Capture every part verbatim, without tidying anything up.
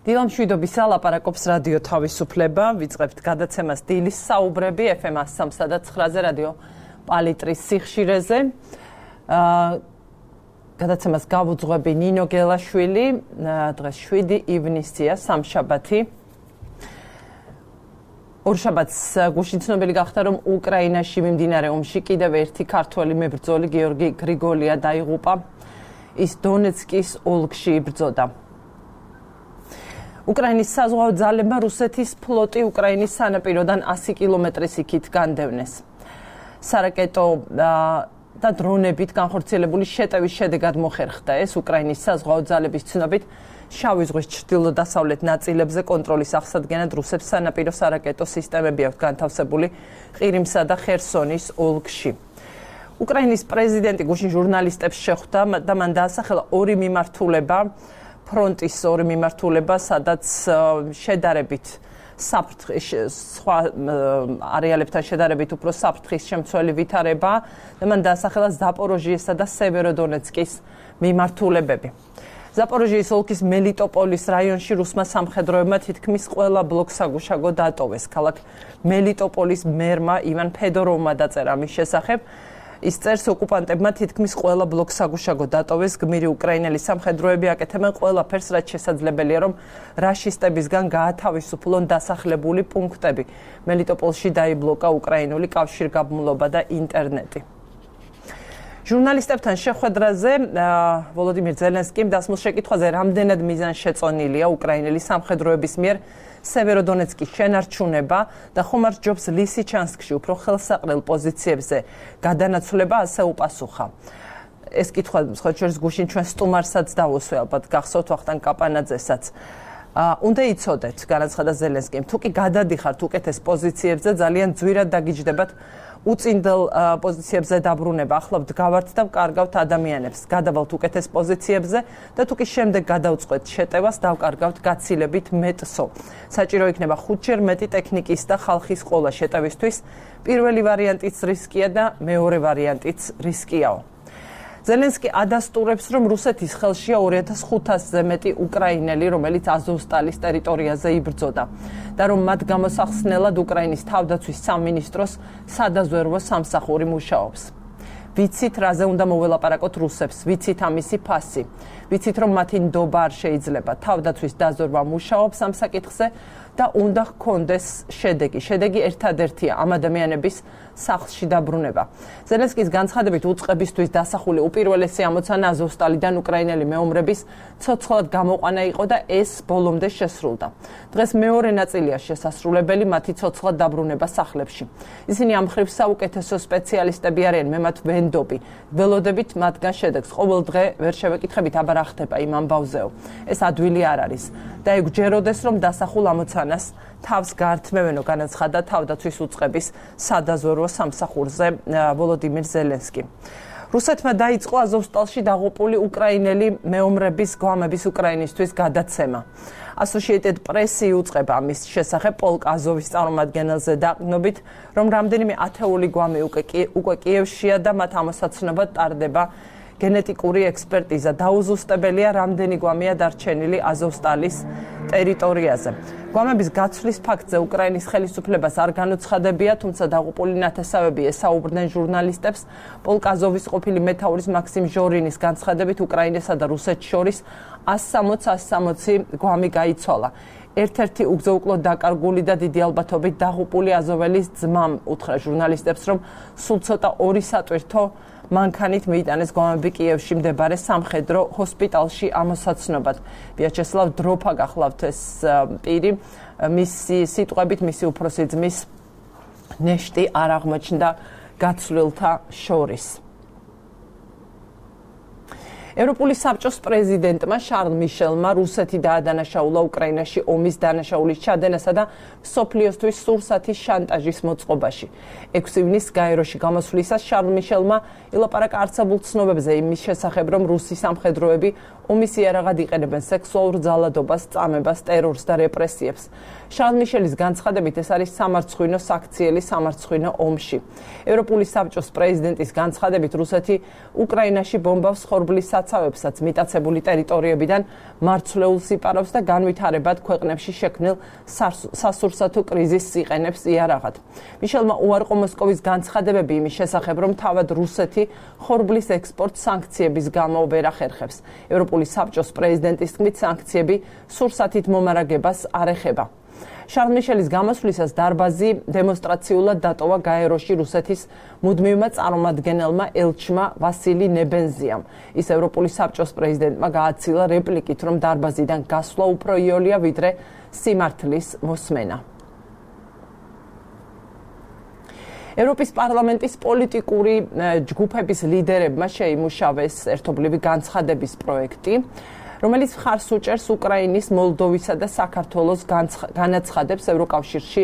დილამშვიდობის ლაპარაკობს რადიო თავისუფლება, ვიწყებთ გადაცემას დილის საუბრები ეფ ემ one oh three და nine-ზე რადიო პალიტრის სიხშირეზე. გადაცემას გავუძღვები ნინო გელაშვილი, დღეს შვიდი ივნისია, სამშაბათი. ორშაბათს გუშინ ცნობილი გახდა, რომ უკრაინაში მიმდინარე ომში კიდევ ერთი ქართველი მებრძოლი გიორგი გრიგოლია დაიღუპა. ის დონეცკის ოლქში იბრძოდა. უკრაინის საზღვაო ძალებმა რუსეთის ფლოტი უკრაინის სანაპიროდან one hundred კილომეტრის იქით განდევნეს. სარაკეტო და დრონებით განხორციელებული შეტევის შედეგად მოხერხდა ეს უკრაინის საზღვაო ძალების ცნობით შავი ზღვის ჩრდილო-დასავლეთ ნაწილებზე კონტროლის აღსადგენად რუსებს სანაპირო სარაკეტო სისტემები აქვთ განთავსებული ყირიმსა და ხერსონის ოლქში. უკრაინის პრეზიდენტი გუშინ ჟურნალისტებს შეხვდა და მან დაასახელა ორი მიმართულება ფრონტის ორი მიმართულება, სადაც შედარებით საფრთხის სხვა არეალებთან შედარებით უფრო საფრთხის შემცველი ვითარება და მან დაასახელა ზაპოროჟიესა და სევეროდონეცკის მიმართულებები. ზაპოროჟიის ოლქის მელიტოპოლის რაიონში რუსმა სამხედროებმა თითქმის ყველა ბლოკსაგუშაგო დატოვეს. ქალაქ მელიტოპოლის მერმა ივან ფედოროვმა დაწერა მის შესახებ. ის წერს, ოკუპანტებმა თითქმის ყველა ბლოკსაგუშაგო დატოვეს, გმირი უკრაინელი სამხედროები აკეთებენ ყველაფერს, რაც შესაძლებელია, რომ რაშისტებისგან გაათავისუფლონ დასახლებული პუნქტები. მელიტოპოლში დაიბლოკა უკრაინული კავშირგაბმულობა და ინტერნეტი. ჟურნალისტებთან შეხვედრაზე ვოლოდიმირ ზელენსკიმ დასმულ შეკითხვაზე, რამდენად მიზანშეწონილია უკრაინელი სამხედროების მიერ სევეროდონეცკის შენარჩუნება და ხომ არ ჯობს ლისიჩანსკში უფრო ხელსაყრელ პოზიციებზე გადანაცვლება, ასე უპასუხა. ეს კითხვა სხვა შორის გუშინ ჩვენ სტუმარსაც დავუსვე, ალბათ გახსოვთ ვახტანგ კაპანაძესაც. უნდა იცოდეთ, განაცხადა ზელენსკიმ, თუ კი გადადიხართ უკეთეს პოზიციებზე, ძალიან ძვირად დაგიჯდებათ უწინდელ პოზიციებზე დაბრუნება. ახლა ვდგავართ და ვკარგავთ ადამიანებს, გადავალთ უკეთეს პოზიციებზე და თუ კი შემდეგ გადავწყვეთ შეტევას, დავკარგავთ გაცილებით მეტსო. საჭირო იქნება ხუთჯერ მეტი ტექნიკის და ხალხის ყოლა შეტევისთვის. პირველი ვარიანტიც რისკია და მეორე ვარიანტიც რისკიაო. ზელენსკი ადასტურებს, რომ რუსეთის ხელშია ორი ათას ხუთასზე მეტი უკრაინელი, რომელიც აზოვსტალის ტერიტორიაზე იბრძოდა და რომ მათ გამოსახსნელად უკრაინის თავდაცვის სამინისტროს სადაზვერვო სამსახური მუშაობს. ვიცით, რაზე უნდა მოველაპარაკოთ რუსებს, ვიცით ამისი ფასი. ვიცით, რომ მათი ნდობა არ შეიძლება. თავდაცვის დაზვერვა მუშაობს ამ საკითხზე და უნდა ჰქონდეს შედეგი. შედეგი ერთადერთია ამ ადამიანების სახლში დაბრუნება. ზელენსკის განცხადებით უწყებისთვის დასახული უპირველესი ამოცანა აზოვსტალიდან უკრაინელი მეომრების ცოცხლად გამოყვანა იყო და ეს ბოლომდე შესრულდა. დღეს მეორე ნაწილია შესასრულებელი მათი ცოცხლად დაბრუნება სახლებში. ისინი ამ მხრივ საუკეთესო სპეციალისტები არიან, მე მათ ვენდობი. ველოდებით მათგან შედეგს. ყოველ დღე ვერ შევეკითხებით, აბა რა ხდება იმ ამბავზეო. ეს ადვილი არ არის და ეგ ჯეროდეს, რომ დასახულ ამოცანას თავს გაართმევენო, განაცხადა თავდაცვის უწყების სადაზვერვო სამსახურზე ვოლოდიმირ ზელენსკი. რუსეთმა დაიწყო აზოვსტალში დაღუპული უკრაინელი მეომრების გვამების უკრაინისთვის გადაცემა. Associated Press იუწყება ამის შესახებ პოლკ აზოვის წარმომადგენელზე დაყრდნობით, რომ რამდენიმე ათეული გვამი უკვე კიევშია და მათ ამოსაცნობად ტარდება გენეტიკური ექსპერტიზა. დაუზუსტებელია, რამდენი გვამია დარჩენილი აზოვსტალის ტერიტორიაზე. გვამების გაცვლის ფაქტზე უკრაინის ხელისუფლებას არ განუცხადებია, თუმცა დაღუპული ნათესავები ესაუბრდნენ ჟურნალისტებს. პოლკ აზოვის ყოფილი მეთაურის მაქსიმ ჟორინის განცხადებით, უკრაინასა და რუსეთს შორის one hundred გვამი გაიცვალა. ერთ-ერთი უგზო-უკლოდ დაკარგული და დიდი ალბათობით დაღუპული აზოველის ძმამ უთხრა ჟურნალისტებს, რომ სულ ცოტა ორი სატვირთო მანქანით მიიტანეს გვამები კიევში მდებარე სამხედრო ჰოსპიტალში ამოსაცნობად. ვიაჩესლავ დროფა გახლავთ ეს პირი, მისი სიტყვებით მისი უფროსი ძმის ნეშტი არ აღმოჩნდა გაცვლილთა შორის. ევროპული საბჭოს პრეზიდენტმა შარლ მიშელმა რუსეთი დაადანაშაულა უკრაინაში ომის დანაშაულის ჩადენასა და მსოფლიოსთვის სურსათის შანტაჟის მოწყობაში. ექვსი ივნისს გაეროში გამოსვლისას შარლ მიშელმა ილაპარაკა არსებულ ცნობებზე იმის შესახებ, რომ რუსი სამხედროები ომის იარაღად იყენებენ სექსუალურ ძალადობას, წამებას, ტერორს და რეპრესიებს. შარლ მიშელის განცხადებით ეს არის სამარცხვინო საქციელი სამარცხვინო ომში. ევროპული საბჭოს პრეზიდენტის განცხადებით რუსეთი უკრაინაში ბომბავს ხორბლის საცავებსაც მიტაცებული ტერიტორიებიდან მარცვლეულს იპარავს და განვითარებად ქვეყნებში შექმნილ სასურსათო კრიზისს იყენებს იარაღად. მიშელმა უარყო მოსკოვის განცხადებები იმის შესახებ, რომ თავად რუსეთი ხორბლის ექსპორტ სანქციების გამო ვერ ახერხებს. ევროპული საბჭოს პრეზიდენტის თქმით, სანქციები სურსათით მომარაგებას არ ეხება. შარლ მიშელის გამოსვლისას დარბაზი დემონსტრაციულად დატოვა გაეროში რუსეთის მუდმივმა წარმომადგენელმა ელჩმა ვასილი ნებენზიამ. ის ევროპული საბჭოს პრეზიდენტმა გააცილა რეპლიკით, რომ დარბაზიდან გასვლა უფრო იოლია ვიდრე სიმართლის მოსმენა. ევროპის პარლამენტის პოლიტიკური ჯგუფების ლიდერებმა შეიმუშავეს ერთობლივი განცხადების პროექტი, რომელიც მხარს უჭერს უკრაინის, მოლდოვისა და საქართველოს განაცხადებს ევროკავშირში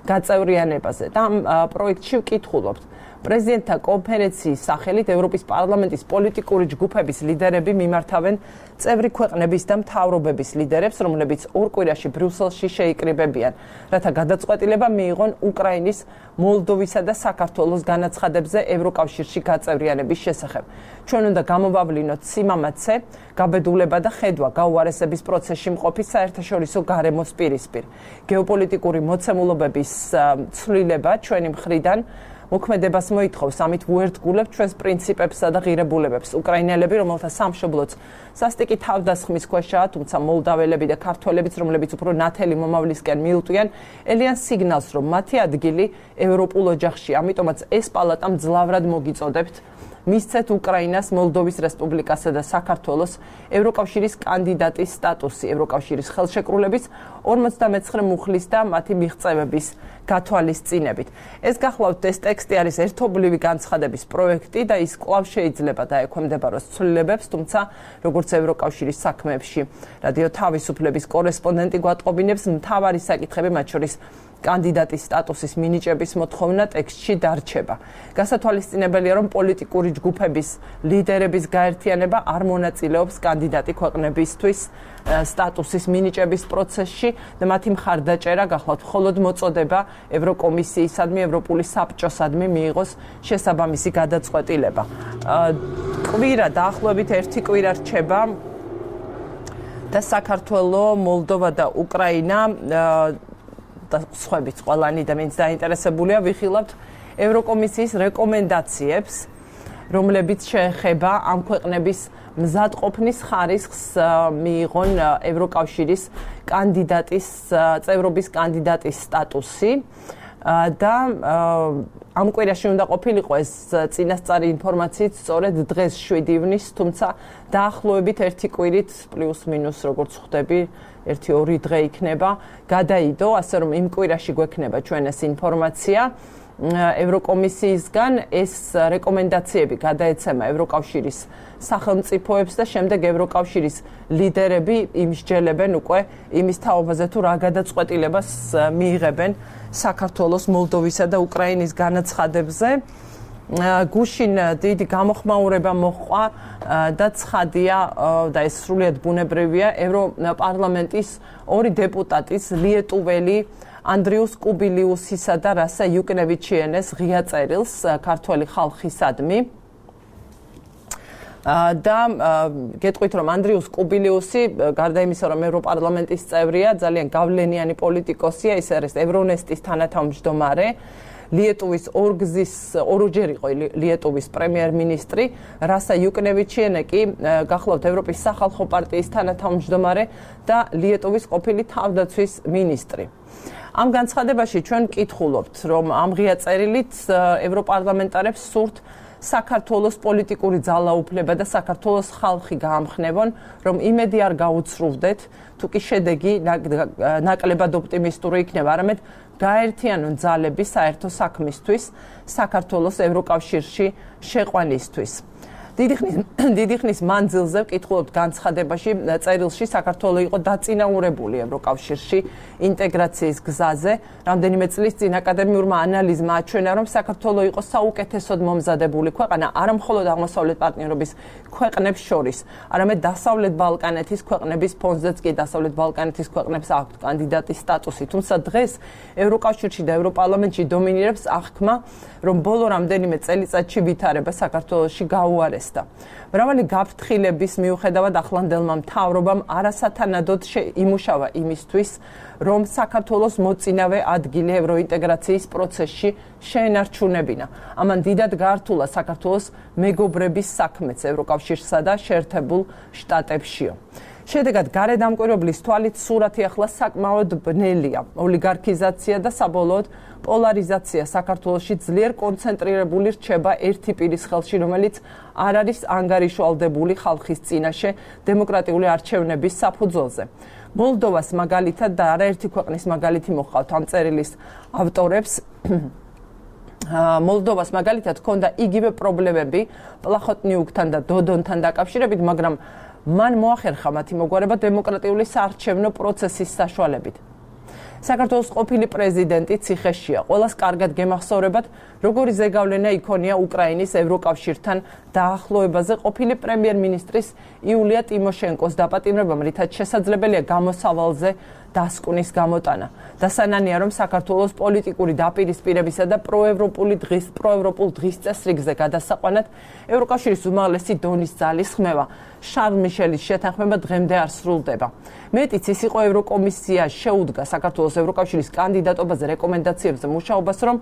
გაწევრიანებაზე. და ამ პროექტში ვკითხულობთ. პრეზიდენტთა კონფერენციის სახელით ევროპის პარლამენტის პოლიტიკური ჯგუფების ლიდერები მიმართავენ წევრი ქვეყნების და მთავრობების ლიდერებს, რომლებიც ორ კვირაში ბრიუსელში შეიკრიბებიან, რათა გადაწყვეტილება მიიღონ უკრაინის, მოლდოვისა და საქართველოს განაცხადებზე ევროკავშირში გაწევრიანების შესახებ. ჩვენ უნდა გამოვავლინოთ სიმამაცე, გაბედულება და ხედვა გაუარესების პროცესში მყოფი საერთაშორისო გარემოს პირისპირ. გეოპოლიტიკური მოცემულობების ცვლილება ჩვენი მხრიდან მოქმედებას მოითხოვს, ამით ვუერთგულებთ ჩვენს პრინციპებსა და ღირებულებებს. უკრაინელები, რომელთა სამშობლოც სასტიკი თავდასხმის ქვეშაა, თუმცა მოლდაველები და ქართველებიც, რომლებიც უფრო ნათელი მომავლისკენ მიუტვიან, ელიან სიგნალს, რომ მათი ადგილი ევროპულ ოჯახში. ამიტომაც ეს პალატა მძლავრად მოგიწოდებთ მისცეთ უკრაინას, მოლდოვის რესპუბლიკასა და საქართველოს ევროკავშირის კანდიდატის სტატუსი ევროკავშირის ხელშეკრულების ორმოცდამეცხრე მუხლის და მათი მიღწევების გათვალისწინებით. ეს გახლავთ ეს ტექსტი არის ერთობლივი განცხადების პროექტი და ის კვლავ შეიძლება დაექვემდებაროს ცვლილებებს, თუმცა როგორც ევროკავშირის საქმეებში რადიო თავისუფლების კორესპონდენტი გვატყობინებს, მთავარი საკითხები, მათ შორის კანდიდატის სტატუსის მინიჭების მოთხოვნა ტექსტში დარჩება. გასათვალისწინებელია, რომ პოლიტიკური ჯგუფების ლიდერების გაერთიანება არ მონაწილეობს კანდიდატი ქვეყნებისთვის სტატუსის მინიჭების პროცესში და მათი მხარდაჭერა გახლავთ მხოლოდ მოწოდება ევროკომისიისადმი, ევროპული საბჭოსადმი მიიღოს შესაბამისი გადაწყვეტილება. კვირა დაახლოებით ერთი კვირა რჩება და საქართველო, მოლდოვა და უკრაინა და სხვაებიც ყველანი და ვინც დაინტერესებულია ვიხილავთ ევროკომისიის რეკომენდაციებს, რომლებიც შეეხება ამ ქვეყნების მზადყოფნის ხარისხს მიიღონ ევროკავშირის კანდიდატის წევრობის კანდიდატის სტატუსი და ამ კვირაში უნდა ყოფილიყო ეს წინასწარი ინფორმაციით სწორედ დღეს შვიდი ივნისს, თუმცა დაახლოებით ერთი კვირით პლუს მინუს როგორც ხვდები ერთი ორი დღე იქნება გადაიდო, ასე რომ იმ კვირაში გვექნება ჩვენ ეს ინფორმაცია ევროკომისიისგან. ეს რეკომენდაციები გადაეცემა ევროკავშირის სახელმწიფოებს და შემდეგ ევროკავშირის ლიდერები იმსჯელებენ უკვე იმის თაობაზე თუ რა გადაწყვეტილებას მიიღებენ საქართველოს, მოლდოვისა და უკრაინის განაცხადებზე. გუშინ დიდი გამოხმაურება მოჰყვა და ცხადია და ეს სრულიად ბუნებრივია ევროპარლამენტის ორი დეპუტატის ლიეტუველი ანდრიუს კუბილიუსისა და რასა იუკნევიჩიენეს ღია წერილს ქართველი ხალხისადმი. და გეტყვით, რომ ანდრიუს კუბილიუსი გარდა იმისა, რომ ევროპარლამენტის წევრია, ძალიან გავლენიანი პოლიტიკოსია, ის არის ევრონესტის თანათავმჯდომარე. ლიეტუვის ორგზის ორჯერ იყო ლიეტუვის პრემიერ-მინისტრი, რასა იუკნევიჩიენე კი გახლავთ ევროპის სახალხო პარტიის თანათავმჯდომარე და ლიეტუვის ყოფილი თავდაცვის მინისტრი. ამ განცხადებაში ჩვენ ვკითხულობთ, რომ ამ ღია წერილით ევროპარლამენტარებს სურთ საქართველოს პოლიტიკური ძალაუფლება და საქართველოს ხალხი გაამხნევონ, რომ იმედი არ გაუცრუვდეთ, თუ კი შედეგი ნაკლებად ოპტიმისტური იქნება, არამედ გაერთიანონ ძალები საერთო საქმისთვის, საქართველოს ევროკავშირში შეყვანისთვის. დიდი ხნის დიდი ხნის მანძილზე ვკითხულობთ განცხადებაში, წერილში საქართველო იყო დაწინაურებული ევროკავშირში ინტეგრაციის გზაზე. რამდენიმე წლის წინ აკადემიურმა ანალიზმა აჩვენა, რომ საქართველო იყო საუკეთესოდ მომზადებული ქვეყანა არა მხოლოდ აღმოსავლეთ პარტნიორობის ქვეყნებს შორის, არამედ დასავლეთ ბალკანეთის ქვეყნების ფონზეც კი დასავლეთ ბალკანეთის ქვეყნებს აქვთ კანდიდატის სტატუსი. თუმცა დღეს ევროკავშირში და ევროპარლამენტში დომინირებს აღქმა, რომ ბოლო რამდენიმე წელიწადში ვითარება საქართველოში გაუარესდა. გახსდა. მრავალი გაფრთხილების მიუხედავად ახლანდელმა მთავრობამ არასათანადოდ იმუშავა იმისთვის, რომ საქართველოს მოწინავე ადგილი ევროინტეგრაციის პროცესში შეენარჩუნებინა. ამან დიდად გაართულა საქართველოს მეგობრების საქმეც ევროკავშირსა და შეერთებულ შტატებშიო. შედეგად გარედამკვირვებლის თვალით სურათი ახლა საკმაოდ ბნელია. ოლიგარქიზაცია და საბოლოოდ პოლარიზაცია საქართველოში ძლიერ კონცენტრირებული რჩება ერთი პირის ხელში, რომელიც არ არის ანგარიშვალდებული ხალხის წინაშე დემოკრატიული არჩევნების საფუძველზე. მოლდოვას მაგალითად და არაერთი ქვეყნის მაგალითი მოჰყავთ ამ წერილის ავტორებს. მოლდოვას მაგალითად ჰქონდა იგივე პრობლემები პლახოტნიუკთან და დოდონთან დაკავშირებით, მაგრამ მან მოახერხა მათი მოგვარება დემოკრატიული საარჩევნო პროცესის საშუალებით. საქართველოს ყოფილი პრეზიდენტი ციხეშია. ყველას კარგად გემახსოვრებათ, როგორი ზეგავლენა იქონია უკრაინის ევროკავშირთან დაახლოებაზე ყოფილი პრემიერ-მინისტრის იულია ტიმოშენკოს დაპატიმრებამ, რითაც შესაძლებელია გამოსავალზე დასკვნის გამოტანა. დასანანია, რომ საქართველოს პოლიტიკური დაპირისპირებისა და პროევროპული დღის პროევროპულ დღის წესრიგზე გადასაყვანად ევროკავშირის უმაღლესი დონის ძალის ხმევა შარლ მიშელის შეთანხმება დღემდე არ სრულდება. მეტიც ის იყო ევროკომისია შეუდგა საქართველოს ევროკავშირის კანდიდატობაზე რეკომენდაციებზე მუშაობას, რომ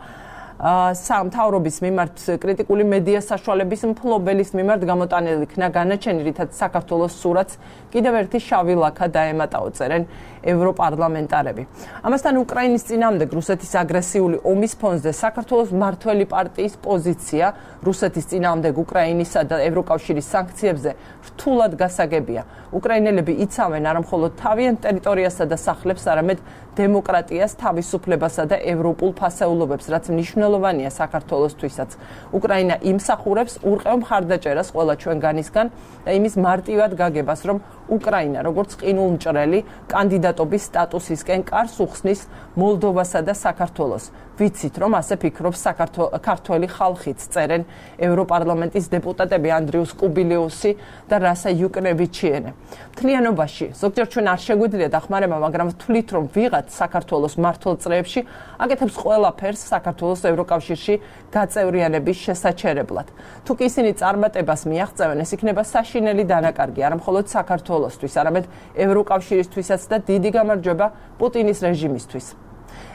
სამთავრობის მიმართ კრიტიკული მედია საშუალების მფლობელის მიმართ გამოტანილი იქნა განაჩენი, რითაც საქართველოს სურათს კიდევ ერთი შავი ლაქა დაემატაო, წერენ ევროპარლამენტარები. ამასთან უკრაინის წინააღმდეგ რუსეთის აგრესიული ომის ფონზე საქართველოს მმართველი პარტიის პოზიცია რუსეთის წინააღმდეგ უკრაინისა და ევროკავშირის სანქციებზე რთულად გასაგებია. უკრაინელები იცავენ არა მხოლოდ თავიანთ ტერიტორიასა და სახლებს, არამედ დემოკრატიას, თავისუფლებასა და ევროპულ ფასეულობებს, რაც მნიშვნელოვანია საქართველოსთვისაც. უკრაინა იმსახურებს ურყევ მხარდაჭერას ყველა ჩვენგანისგან და იმის მარტივად გაგებას, რომ უკრაინა როგორც ყინულმჭრელი კანდიდატობის სტატუსისკენ კარს უხსნის მოლდოვასა და საქართველოს. ვიცით, რომ ასე ფიქრობს საქართველოს ხალხიც, წერენ ევროპარლამენტის დეპუტატები ანდრიუს კუბილიუსი და რასა იუკნევიჩიენე. მთლიანობაში ზოგჯერ ჩვენ არ შეგვიძლია დახმარება, მაგრამ ვთვლით, რომ ვიღაც საქართველოს მართლ წრეებში აკეთებს ყველაფერს საქართველოს ევროკავშირში გაწევრიანების შესაჩერებლად. თუ კი ისინი წარმატებას მიაღწევენ, ეს იქნება საშინელი დანაკარგი არა მხოლოდ საქართველოსთვის, არამედ ევროკავშირისთვისაც და დიდი გამარჯვება პუტინის რეჟიმისთვის.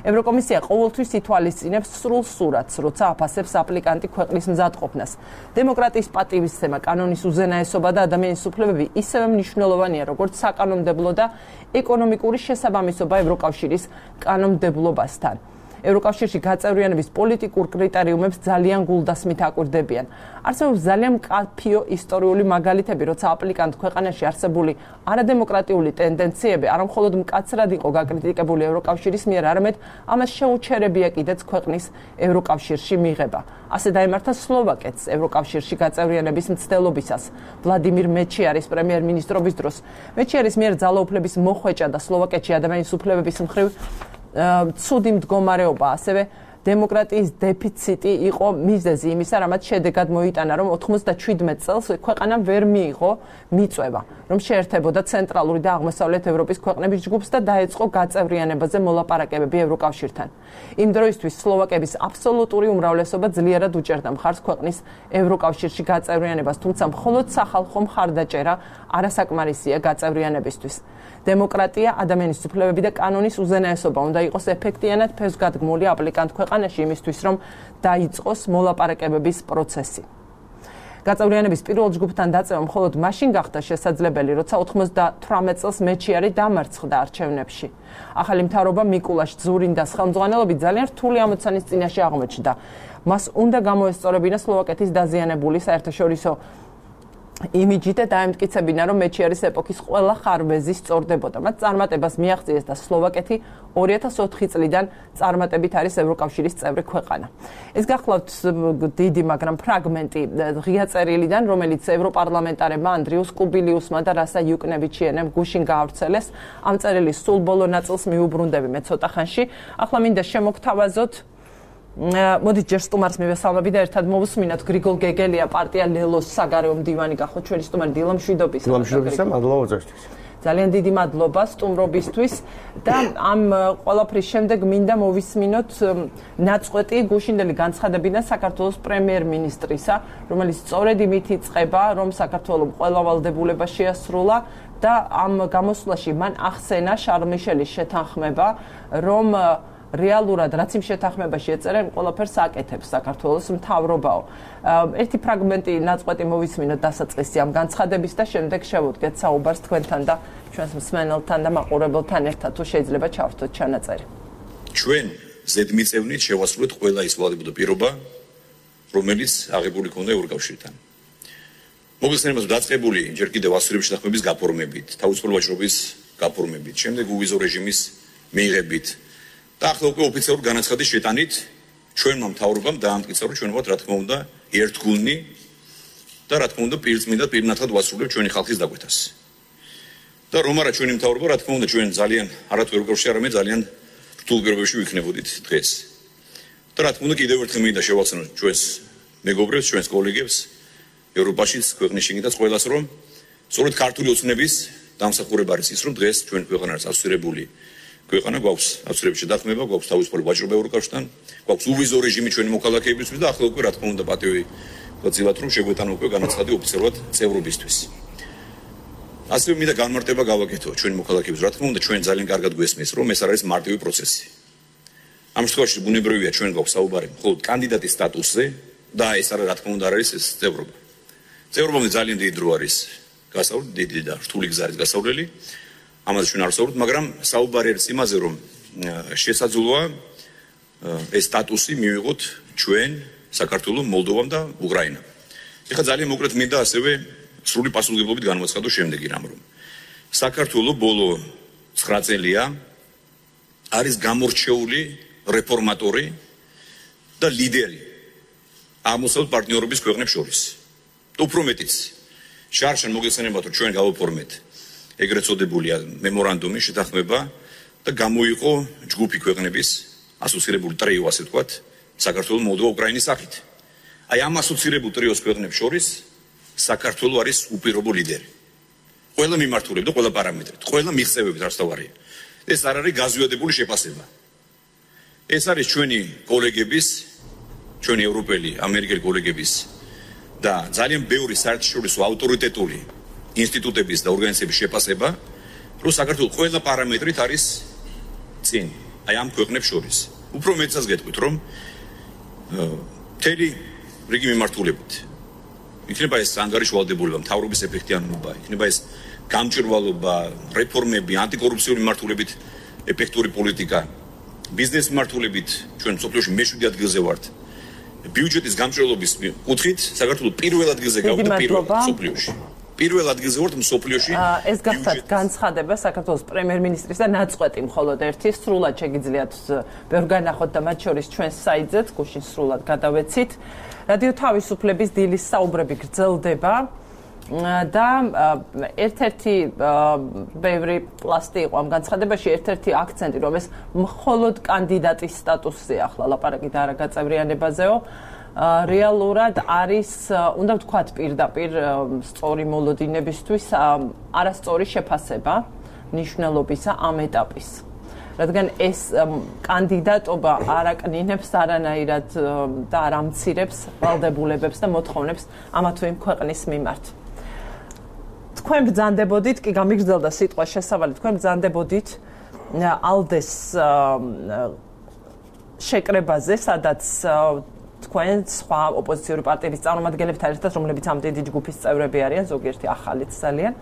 ევროკომისია ყოველთვის ითვალისწინებს სრულ სურათს, როცა აფასებს აპლიკანტი ქვეყნის მზადყოფნას. დემოკრატიის პატივისცემა, კანონის უზენაესობა და ადამიანის უფლებები ისევე მნიშვნელოვანია, როგორც საკანონმდებლო და ეკონომიკური შესაბამისობა ევროკავშირის კანონმდებლობასთან. ევროკავშირში გაწევრიანების პოლიტიკურ კრიტერიუმებს ძალიან გულდასმით აკვირდებიან. არსებობს ძალიან მკაფიო ისტორიული მაგალითები, როცა აპლიკანტ ქვეყანაში არსებული არადემოკრატიული ტენდენციები არა მხოლოდ მკაცრად იყო გაკრიტიკებული ევროკავშირის მიერ, არამედ ამას შეუჩერებია კიდეც ქვეყნის ევროკავშირში მიღება. ასე დაემართა სლოვაკეთს ევროკავშირში გაწევრიანების მცდელობისას. ვლადიმირ მეჩიარის პრემიერ-მინისტრობის დროს მეჩიარის მიერ ძალაუფლების მოხვეჭა და სლოვაკეთში ადამიანის უფლებების მხრივ ცუდი მდგომარეობა, ასევე დემოკრატიის დეფიციტი იყო მიზეზი იმისა, რამაც შედეგად მოიტანა, რომ ოცდაშვიდ წელს ქვეყანამ ვერ მიიღო მიწვევა, რომ შეერთებოდა ცენტრალური და აღმოსავლეთ ევროპის ქვეყნების ჯგუფს და დაეწყო გაწევრიანებაზე მოლაპარაკებები ევროკავშირთან. იმ დროისთვის სლოვაკების აბსოლუტური უმრავლესობა ძლიერად უჭერდა მხარს ქვეყნის ევროკავშირში გაწევრიანებას, თუმცა მხოლოდ სახალხო მხარდაჭერა არასაკმარისია გაწევრიანებისთვის. დემოკრატია, ადამიანის უფლებები და კანონის უზენაესობა უნდა იყოს ეფექტიანად ფესვგადგმული აპლიკანტ ქვეყანაში იმისთვის, რომ დაიწყოს მოლაპარაკებების პროცესი. გაწევრიანების პირველ ჯგუფთან დაწევა მხოლოდ მაშინ გახდა შესაძლებელი, როცა ოცდათვრამეტ წელს მეჩიარი დამარცხდა არჩევნებში. ახალი მთავრობა მიკულაშ ძურინდას ხელმძღვანელობით ძალიან რთული ამოცანის წინაშე აღმოჩნდა. მას უნდა გამოესწორებინა სლოვაკეთის დაზიანებული საერთაშორისო იმიჯი და დაემტკიცებინა, რომ მეჩიარის ეპოქის ყველა ხარვეზი სწორდებოდა. მათ წარმატებას მიაღწიეს და სლოვაკეთი ორი ათას ოთხი წლიდან წარმატებით არის ევროკავშირის წევრი ქვეყანა. ეს გახლავთ დიდი, მაგრამ ფრაგმენტი ღია წერილიდან, რომელიც ევროპარლამენტარებმა ანდრიუს კუბილიუსმა და რასა იუკნევიჩიენემ გუშინ გაავრცელეს. ამ წერილის სულ ბოლო ნაწილს მიუბრუნდები მე ცოტა ხანში. ახლა მინდა შემოგთავაზოთ მოდით ჯერ სტუმარს მივესალმები და ერთად მოვუსმინოთ. გრიგოლ გეგელია, პარტია ლელოს საგარეო მდივანი გახოთ ჩვენი სტუმარი. დილამშვიდობის. დილამშვიდობისა, მადლობა უწევსთვის. ძალიან დიდი მადლობა სტუმრობისთვის და ამ ყველაფრის შემდეგ მინდა მოვისმინოთ ნაწყვეტი გუშინდელი განცხადებიდან საქართველოს პრემიერ-მინისტრისა, რომელიც სწორედ იმით იწყება, რომ საქართველოს ყველა ვალდებულება შეასრულა და ამ გამოსვლაში მან ახსენა შარლ მიშელის შეთანხმება, რომ რეალურად რაც იმ შეთანხმებაში ეწერა, ყველაფერს აკეთებს საქართველოს მთავრობაო. ერთი ფრაგმენტი ნაწყვეტი მოვისმინოთ დასაწყისი ამ განცხადების და შემდეგ შევუდგეთ საუბარს თქვენთან და ჩვენს მსმენელთან და მაყურებელთან ერთად, თუ შეიძლება ჩავრთოთ ჩანაწერი. ჩვენ ზედმიწევნით შევასრულეთ ყველა ის ვალდებულება და პირობა, რომელიც აღებული ქონდა ევროკავშირთან. მოგესალმებით დაწყებული ჯერ კიდევ ასურების შეთანხმების გაფორმებით, თავისუფლ ვაჭრობის გაფორმებით, შემდეგ უვიზო რეჟიმის მიღებით და ახლა უკვე ოფიციალურ განაცხადის შეტანით ჩვენმა მთავრობამ დაამტკიცა, რომ ჩვენ ვართ რა თქმა უნდა ერთგულნი და რა თქმა უნდა პირწმინდა პირნათლად ვასრულებთ ჩვენი ხალხის დაკვეთას. და რომ არა ჩვენი მთავრობა, რა თქმა უნდა ჩვენ ძალიან არათუ ევროკავშირში, არამედ ძალიან რთულ პირობებში ვიქნებოდით დღეს. და რა თქმა უნდა კიდევ ერთხელ მინდა შევახსენოთ ჩვენს მეგობრებს, ჩვენს კოლეგებს ევროპაშიც, ქვეყნის შიგნითაც ყველას, რომ სწორედ ქართული ოცნების დამსახურება არის ის, რომ დღეს ჩვენ ქვეყანა არის ასოცირებული ქვეყანა, გვაქვს ასოცირების შეთანხმება, გვაქვს თავისუფალი ვაჭრობა ევროკავშირთან, გვაქვს უვიზო რეჟიმი ჩვენი მოქალაქეებისთვის და ახლა უკვე რა თქმა უნდა პატივი ვაწილათ, რომ შეგვეტანა უკვე განაცხადი ოფიციალურად წევრობისთვის. ასევე მინდა განმარტება გავაკეთო ჩვენი მოქალაქეებს, რა თქმა უნდა ჩვენ ძალიან კარგად გვესმის, რომ ეს არ არის მარტივი პროცესი. ამ შემთხვევაში ბუნებრივია ჩვენ გვაქვს საუბარი მხოლოდ კანდიდატის სტატუსზე და ეს არა რა თქმა უნდა არის ეს წევრობა. წევრობამდე ძალიან დიდი დრო არის გასავლელი, დიდი და რთული გზა არის გასავლელი. ამაზე ჩვენ არ ვსაუბრობთ, მაგრამ საუბარი არის იმაზე, რომ შესაძლოა ეს სტატუსი მივიღოთ ჩვენ, საქართველოს, მოლდოვამ და უკრაინამ. ეხლა ძალიან მოკლედ მინდა ასევე სრული პასუხისმგებლობით განვაცხადო შემდეგი რამ, რომ საქართველოს ბოლო ცხრა წელია არის გამორჩეული რეფორმატორი და ლიდერი აღმოსავლეთ პარტნიორობის ქვეყნებს შორის. და უფრო მეტიც, შარშან მოგესალმებათ, რომ ჩვენ გავაფორმეთ ეგრეთ წოდებული მემორანდუმი შეთანხმება და გამოიყო ჯგუფი ქვეყნების ასოცირებული ტრიო, ასე ვთქვათ, საქართველოს, მოლდოვა, უკრაინის სახით. აი ამ ასოცირებულ ტრიოს ქვეყნებს შორის საქართველოს არის უპირობო ლიდერი. ყველა მიმართულებით და ყველა პარამეტრით, ყველა მიღწევებით არც თავარია. ეს არ არის გაზვიადებული შეფასება. ეს არის ჩვენი კოლეგების, ჩვენი ევროპელი, ამერიკელი კოლეგების და ძალიან ბევრი საერთაშორისო ავტორიტეტული ინსტიტუტების და ორგანიზაციების შეფასება, რომ საქართველოს ყველა პარამეტრით არის წინ, აი ამ ქვეყნებს შორის. უფრო მეტსაც გეტყვით, რომ მთელი რიგი მიმართულებით იქნება ეს ანგარიშვალდებულება, მთავრობის ეფექტიანობა, იქნება ეს გამჭვირვალობა, რეფორმები, ანტიკორუფციული მიმართულებით ეფექტური პოლიტიკა, ბიზნეს მიმართულებით ჩვენ მსოფლიოში მეშვიდე ადგილზე ვართ. ბიუჯეტის გამჭვირვალობის კუთხით საქართველოს პირველ ადგილზე გავდა პირველ მსოფლიოში. პირველ ადგილზე ვართ მსოფლიოში. ეს გახდათ განცხადება საქართველოს პრემიერ-მინისტრის და ნაწყვეტი მხოლოდ ერთი, სრულად შეგიძლიათ ბევრ განახოთ და მათ შორის ჩვენს საიტზეც გუშინ სრულად გადავეცით. რადიო თავისუფლების დილის საუბრები გრძელდება და ერთ-ერთი ბევრი პლასტი იყო ამ განცხადებაში, ერთ-ერთი აქცენტი, რომ ეს მხოლოდ კანდიდატის სტატუსზე ახლა ლაპარაკი და არა გაწევრიანებაზეო. რეალურად არის, უნდა ვთქვათ პირდაპირ სწორი მოლოდინებისთვის არასწორი შეფასება ნიშნულობისა ამ ეტაპის. რადგან ეს კანდიდატობა არ აკნინებს არანაირად და არ ამცირებს ვალდებულებებს და მოთხოვნებს ამა თუ იმ ქვეყნის მიმართ. თქვენ ბრძანდებოდით, კი გამიგრძელდა სიტყვა შესავალი, თქვენ ბრძანდებოდით ალდეს შეკრებაზე, სადაც თქვენ სხვა ოპოზიციური პარტიების წარმომადგენლებთან ერთად, რომლებიც ამ დიდი ჯგუფის წევრები არიან, ზოგიერთი ახალიც ძალიან.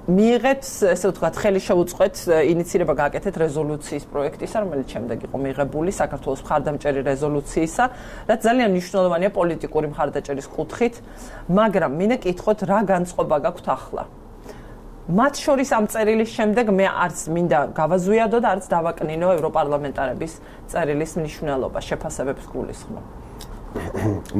მიიღეთ, ესე ვთქვათ, ხელი შეუწყეთ ინიცირება გააკეთეთ რეზოლუციის პროექტისა, რომელიც შემდეგ იყო მიღებული საქართველოს მხარდამჭერი რეზოლუციისა, რაც ძალიან მნიშვნელოვანია პოლიტიკური მხარდაჭერის კუთხით, მაგრამ მინდა კითხოთ, რა განწყობა გაქვთ ახლა? მათ შორის ამ წერილის შემდეგ მე არც მინდა გავაზვიადო და არც დავაკნინო ევროპარლამენტარების წერილის მნიშვნელობა, შეფასებებს გულისხმობ.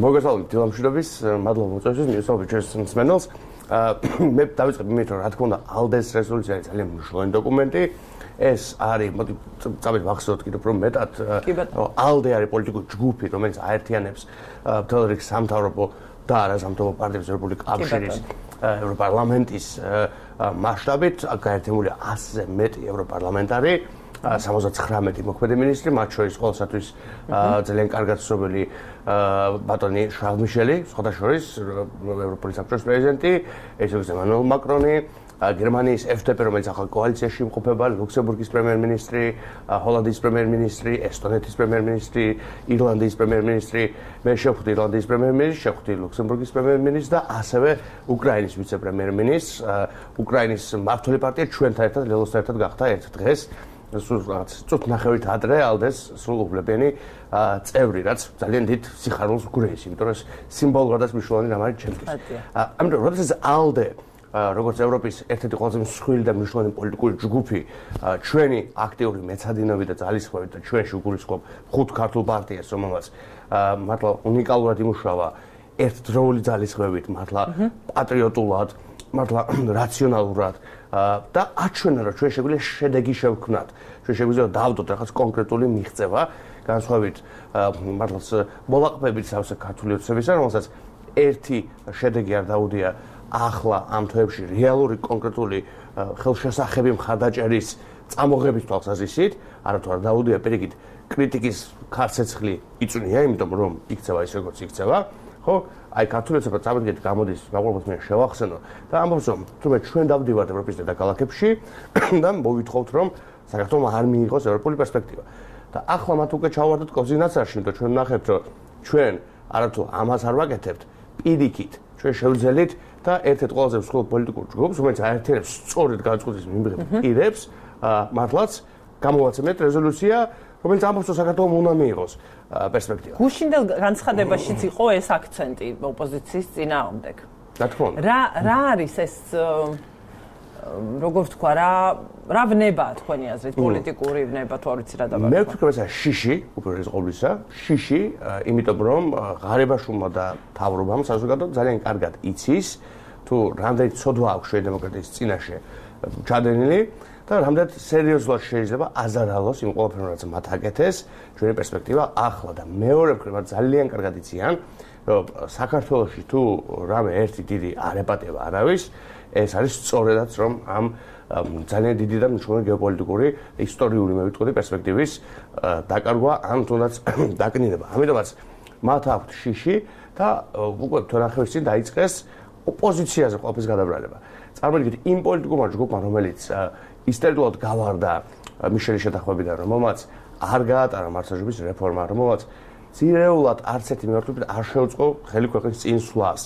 მოგესალმებით დილამშვიდობის, მადლობა მოწვევისთვის, მივესალმებით ჩვენს მსმენელს. მე დავიწყებ იმით, რომ რა თქმა უნდა, ალდეს რეზოლუცია არის ძალიან მნიშვნელოვანი დოკუმენტი. ეს არის, მოდი წავიდეთ ვახსოვოთ კიდევ უფრო მეტად, ალდე არის პოლიტიკური ჯგუფი, რომელიც აერთიანებს მთელ რიგ სამთავრობო და არასამთავრობო პარტიებს, ევროპული კავშირის, ევროპარლამენტის მასშტაბით გაერთიანებულია ასზე მეტი ევროპარლამენტარი, სამოცდათხრამეტი მოქმედი მინისტრი, მათ შორის ყოველსათვის ძალიან კარგად ცნობილი ბატონი შარლ მიშელი, სხვათა შორის ევროპული საბჭოს პრეზიდენტი, ესეც ემანუელ მაკრონი, გერმანიის ეფ დე პე, რომელიც ახალ კოალიციაში იმყოფება, ლუქსემბურგის პრემიერ-მინისტრი, ჰოლანდიის პრემიერ-მინისტრი, ესტონეთის პრემიერ-მინისტრი, ირლანდიის პრემიერ-მინისტრი, მე შევხვდი ირლანდიის პრემიერ-მინისტრს, შევხვდი ლუქსემბურგის პრემიერ-მინისტრს და ასევე უკრაინის ვიცე-პრემიერ-მინისტრს. უკრაინის მმართველი პარტია ჩვენთან ერთად, ლელოსთან ერთად გახდა ერთ დღეს სულ რაღაც წუთნახევრით ადრე ალდეს სრულუფლებიანი წევრი, რაც ძალიან დიდ სიხარულს გვგრეის, იმიტომ რომ სიმბოლურადაც მნიშვნელოვანი რამ არის ჩემთვის. ამიტომ როდესაც ალდე როგორც ევროპის ერთ-ერთი ყველაზე მსხვილი და მნიშვნელოვანი პოლიტიკური ჯგუფი ჩვენი აქტიური მეცადინეობით და ძალისხმევით და ჩვენში უგულისხმობ ხუთ ქართულ პარტიას, რომელმაც მართლა უნიკალურად იმუშავა ერთდროული ძალისხმევით, მართლა პატრიოტულად, მართლა რაციონალურად და აჩვენა, რომ ჩვენ შეგვიძლია შედეგი შევქმნათ. ჩვენ შეგვიძლია დავდოთ რაღაც კონკრეტული მიღწევა, განსხვავებით მართლაც მოლაყბებით სავსე ქართული ოცნებისა, რომელსაც ერთი შედეგი არ დაუდია ახლა ამ თვეებში რეალური კონკრეტული ხელშესახები მხარდაჭერის წამოღების თვალსაზრისით, არათუ არ დაუდია პირიქით კრიტიკის ქარცეცხლი იწვნია, იმიტომ რომ იქცევა ის როგორც იქცევა, ხო? აი ქართული ოცნება წამოდგეთ გამოდის მაყურებელს მე შევახსენო და ამბობს რომ თუმცა ჩვენ დავდივართ ევროპის დედაქალაქებში და მოვითხოვთ რომ საქართველოს არ მიიღოს ევროპული პერსპექტივა. და ახლა მათ უკვე ჩავარდოთ კოზინაცარში, იმიტომ ჩვენ ნახებთ რომ ჩვენ არათუ ამას არ ვაკეთებთ, პირიქით ჩვენ შევძელით და ერთ-ერთ ყველაზე მსხვილ პოლიტიკურ ჯგუფს, რომელიც აერთიანებს სწორედ განწყობის მიმღებ პირებს, მართლაც გამოვაცემთ რეზოლუცია, რომელიც ამბობს რომ საქართველოს უნდა მიიღოს პერსპექტივა. გუშინდელ განცხადებაშიც იყო ეს აქცენტი ოპოზიციის წინააღმდეგ. რა თქმა უნდა. რა რა არის ეს როგორ თქვა, რა რა ვნებაა თქვენი აზრით, პოლიტიკური ვნება თუ არ ვიცი რა დაბა. მე ვფიქრობ ეს შიში, უპირველეს ყოვლისა, შიში, იმიტომ რომ ღარიბაშვილმა და მთავრობამ საზოგადოება ძალიან კარგად იცის, თუ რამდენი ცოდვა აქვს შუა დემოკრატიის წინაშე ჩადენილი და რამდენად სერიოზულად შეიძლება აზარალოს იმ ყველაფერს, რაც მათ აკეთეს, ჩვენი პერსპექტივა ახლა და მეორე მხრივ ძალიან კარგად იციან, რომ საქართველოში თუ რამე ერთი დიდი არეპატება არავის, ეს არის სწორედაც რომ ამ ძალიან დიდი და მნიშვნელოვანი გეოპოლიტიკური ისტორიული მე ვიტყოდი პერსპექტივის დაკარგვა ან თუნდაც დაკნინება. ამიტომაც მათ აქვთ შიში და უკვე თორახევის წინ დაიწყეს ოპოზიციაზე ყოფის გადაბრალება. წარმოიდგინეთ იმ პოლიტიკურმა ჯგუფმა, რომელიც ისტორიულად გავარდა მიშელის შეთანხმებიდან, რომელმაც არ გაატარა მართლმსაჯულების რეფორმა, რომელმაც ძირეულად არც ერთი მიმართულებით არ შეუწყო ხელი ქვეყნის წინსვლას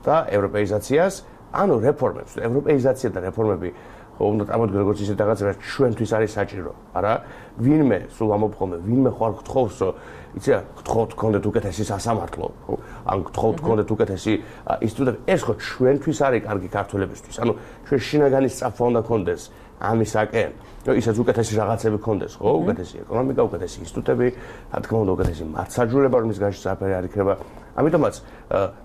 და ევროპეიზაციას, ანუ რეფორმებს. ევროპეიზაცია და რეფორმები ხო უნდა წამოდგე როგორც ისეთ რაღაც რაც ჩვენთვის არის საჭირო, არა? ვინმე სულ ამოფხომე, ვინმე ხარ გთხოვს, რომ იცი რა, გთხოვთ გქონდეთ უკეთესი სასამართლო, ხო? ან გთხოვთ გქონდეთ უკეთესი ინსტიტუტები, ეს ხო ჩვენთვის არის კარგი ქართველებისთვის. ანუ ჩვენ შინაგანი სწრაფვა უნდა გქონდეს ამისაკენ, რომ ისაც უკეთესი რაღაცები გქონდეს, ხო? უკეთესი ეკონომიკა, უკეთესი ინსტიტუტები, რა თქმა უნდა, უკეთესი მართლმსაჯულება, რომლის განშტო საფერი არ იქნება. ამიტომაც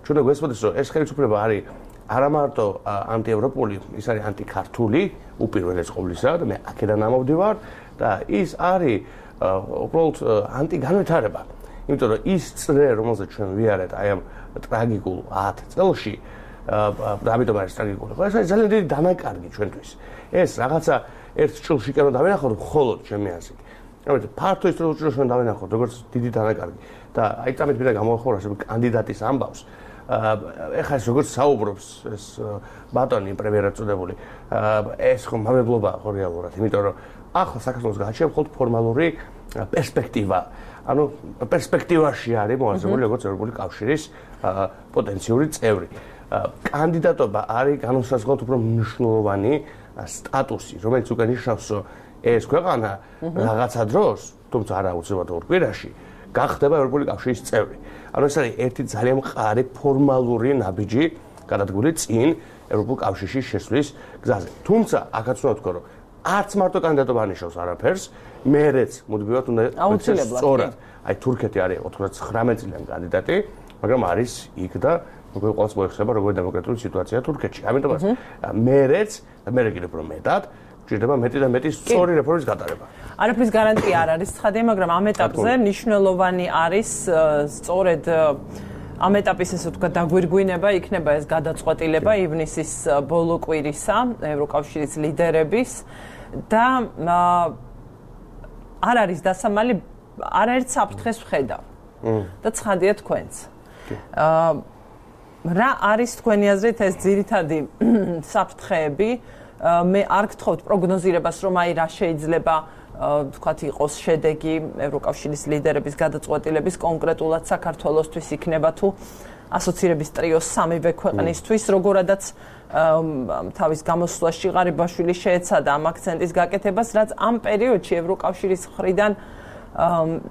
ჩვენ უნდა გვესწრებოდეს, რომ ეს ხელისუფლება არის არა მარტო ანტიევროპული, ის არის ანტიქართული უპირველეს ყოვლისა და მე აქედან ამოვდივარ და ის არის უბრალოდ ანტიგანვითარება. იმიტომ რომ ის წრე, რომელზეც ჩვენ ვიარეთ აი ამ ტრაგიკულ ათ წელში და ამიტომ არის ტრაგიკული. ეს არის ძალიან დიდი დანაკარგი ჩვენთვის. ეს რაღაცა ერთ ჭრილში კერო დავინახოთ მხოლოდ ჩემი აზრით. ამიტომ ფართო ისტორიულ ჭრილში ჩვენ დავინახოთ როგორც დიდი დანაკარგი და აი წამით მინდა გამოვახმარო ასე კანდიდატის ამბავს. ეხლა ეს როგორც საუბრობს ეს ბატონი პრემიერად წოდებული, ეს ხო მამებლობა ხო რეალურად, იმიტომ რომ ახლა საქართველოს გააჩნია მხოლოდ ფორმალური პერსპექტივა. ანუ პერსპექტივაში არის მოაზრებული როგორც ევროპული კავშირის პოტენციური წევრი. კანდიდატობა არის განუსაზღვრელად უფრო მნიშვნელოვანი სტატუსი, რომელიც უკვე ნიშნავს, რომ ეს ქვეყანა რაღაცა დროს, თუმცა არა აუცილებლად ორ კვირაში, გახდება ევროპული კავშირის წევრი. ანუ ეს არის ერთი ძალიან მყარი ფორმალური ნაბიჯი გადადგული წინ ევროპულ კავშირში შესვლის გზაზე. თუმცა აქაც უნდა ვთქვა, რომ არც მარტო კანდიდატობა ანიშნავს არაფერს, მერეც მუდმივად უნდა აუცილებლად სწორად. აი თურქეთი არის ოცდაათი წლიანი კანდიდატი, მაგრამ არის იქ და უკვე ყოველს მოიხსნება როგორი დემოკრატიული სიტუაცია თურქეთში. ამიტომაც მერეც და მერე კიდევ უფრო მეტად ჭირდება მეტი და მეტი სწორი რეფორმის გატარება. არაფრის გარანტია არ არის ცხადია, მაგრამ ამ ეტაპზე მნიშვნელოვანი არის სწორედ ამ ეტაპის ესე ვთქვა დაგვირგვინება იქნება ეს გადაწყვეტილება ივნისის ბოლო კვირისა ევროკავშირის ლიდერების და არ არის დასამალი არაერთ საფრთხეს ვხედავ და ცხადია თქვენც. რა არის თქვენი აზრით ეს ძირითადი საფრთხეები? მე არ გთხოვთ პროგნოზირებას, რომ აი რა შეიძლება თქვათ იყოს შედეგი ევროკავშირის ლიდერების გადაწყვეტილების კონკრეტულად საქართველოსთვის იქნება თუ ასოცირების ტრიოს სამივე ქვეყნისთვის, როგორადაც თავის გამოსვლაში ღარიბაშვილი შეეცადა ამ აქცენტის გაკეთებას, რაც ამ პერიოდში ევროკავშირის მხრიდან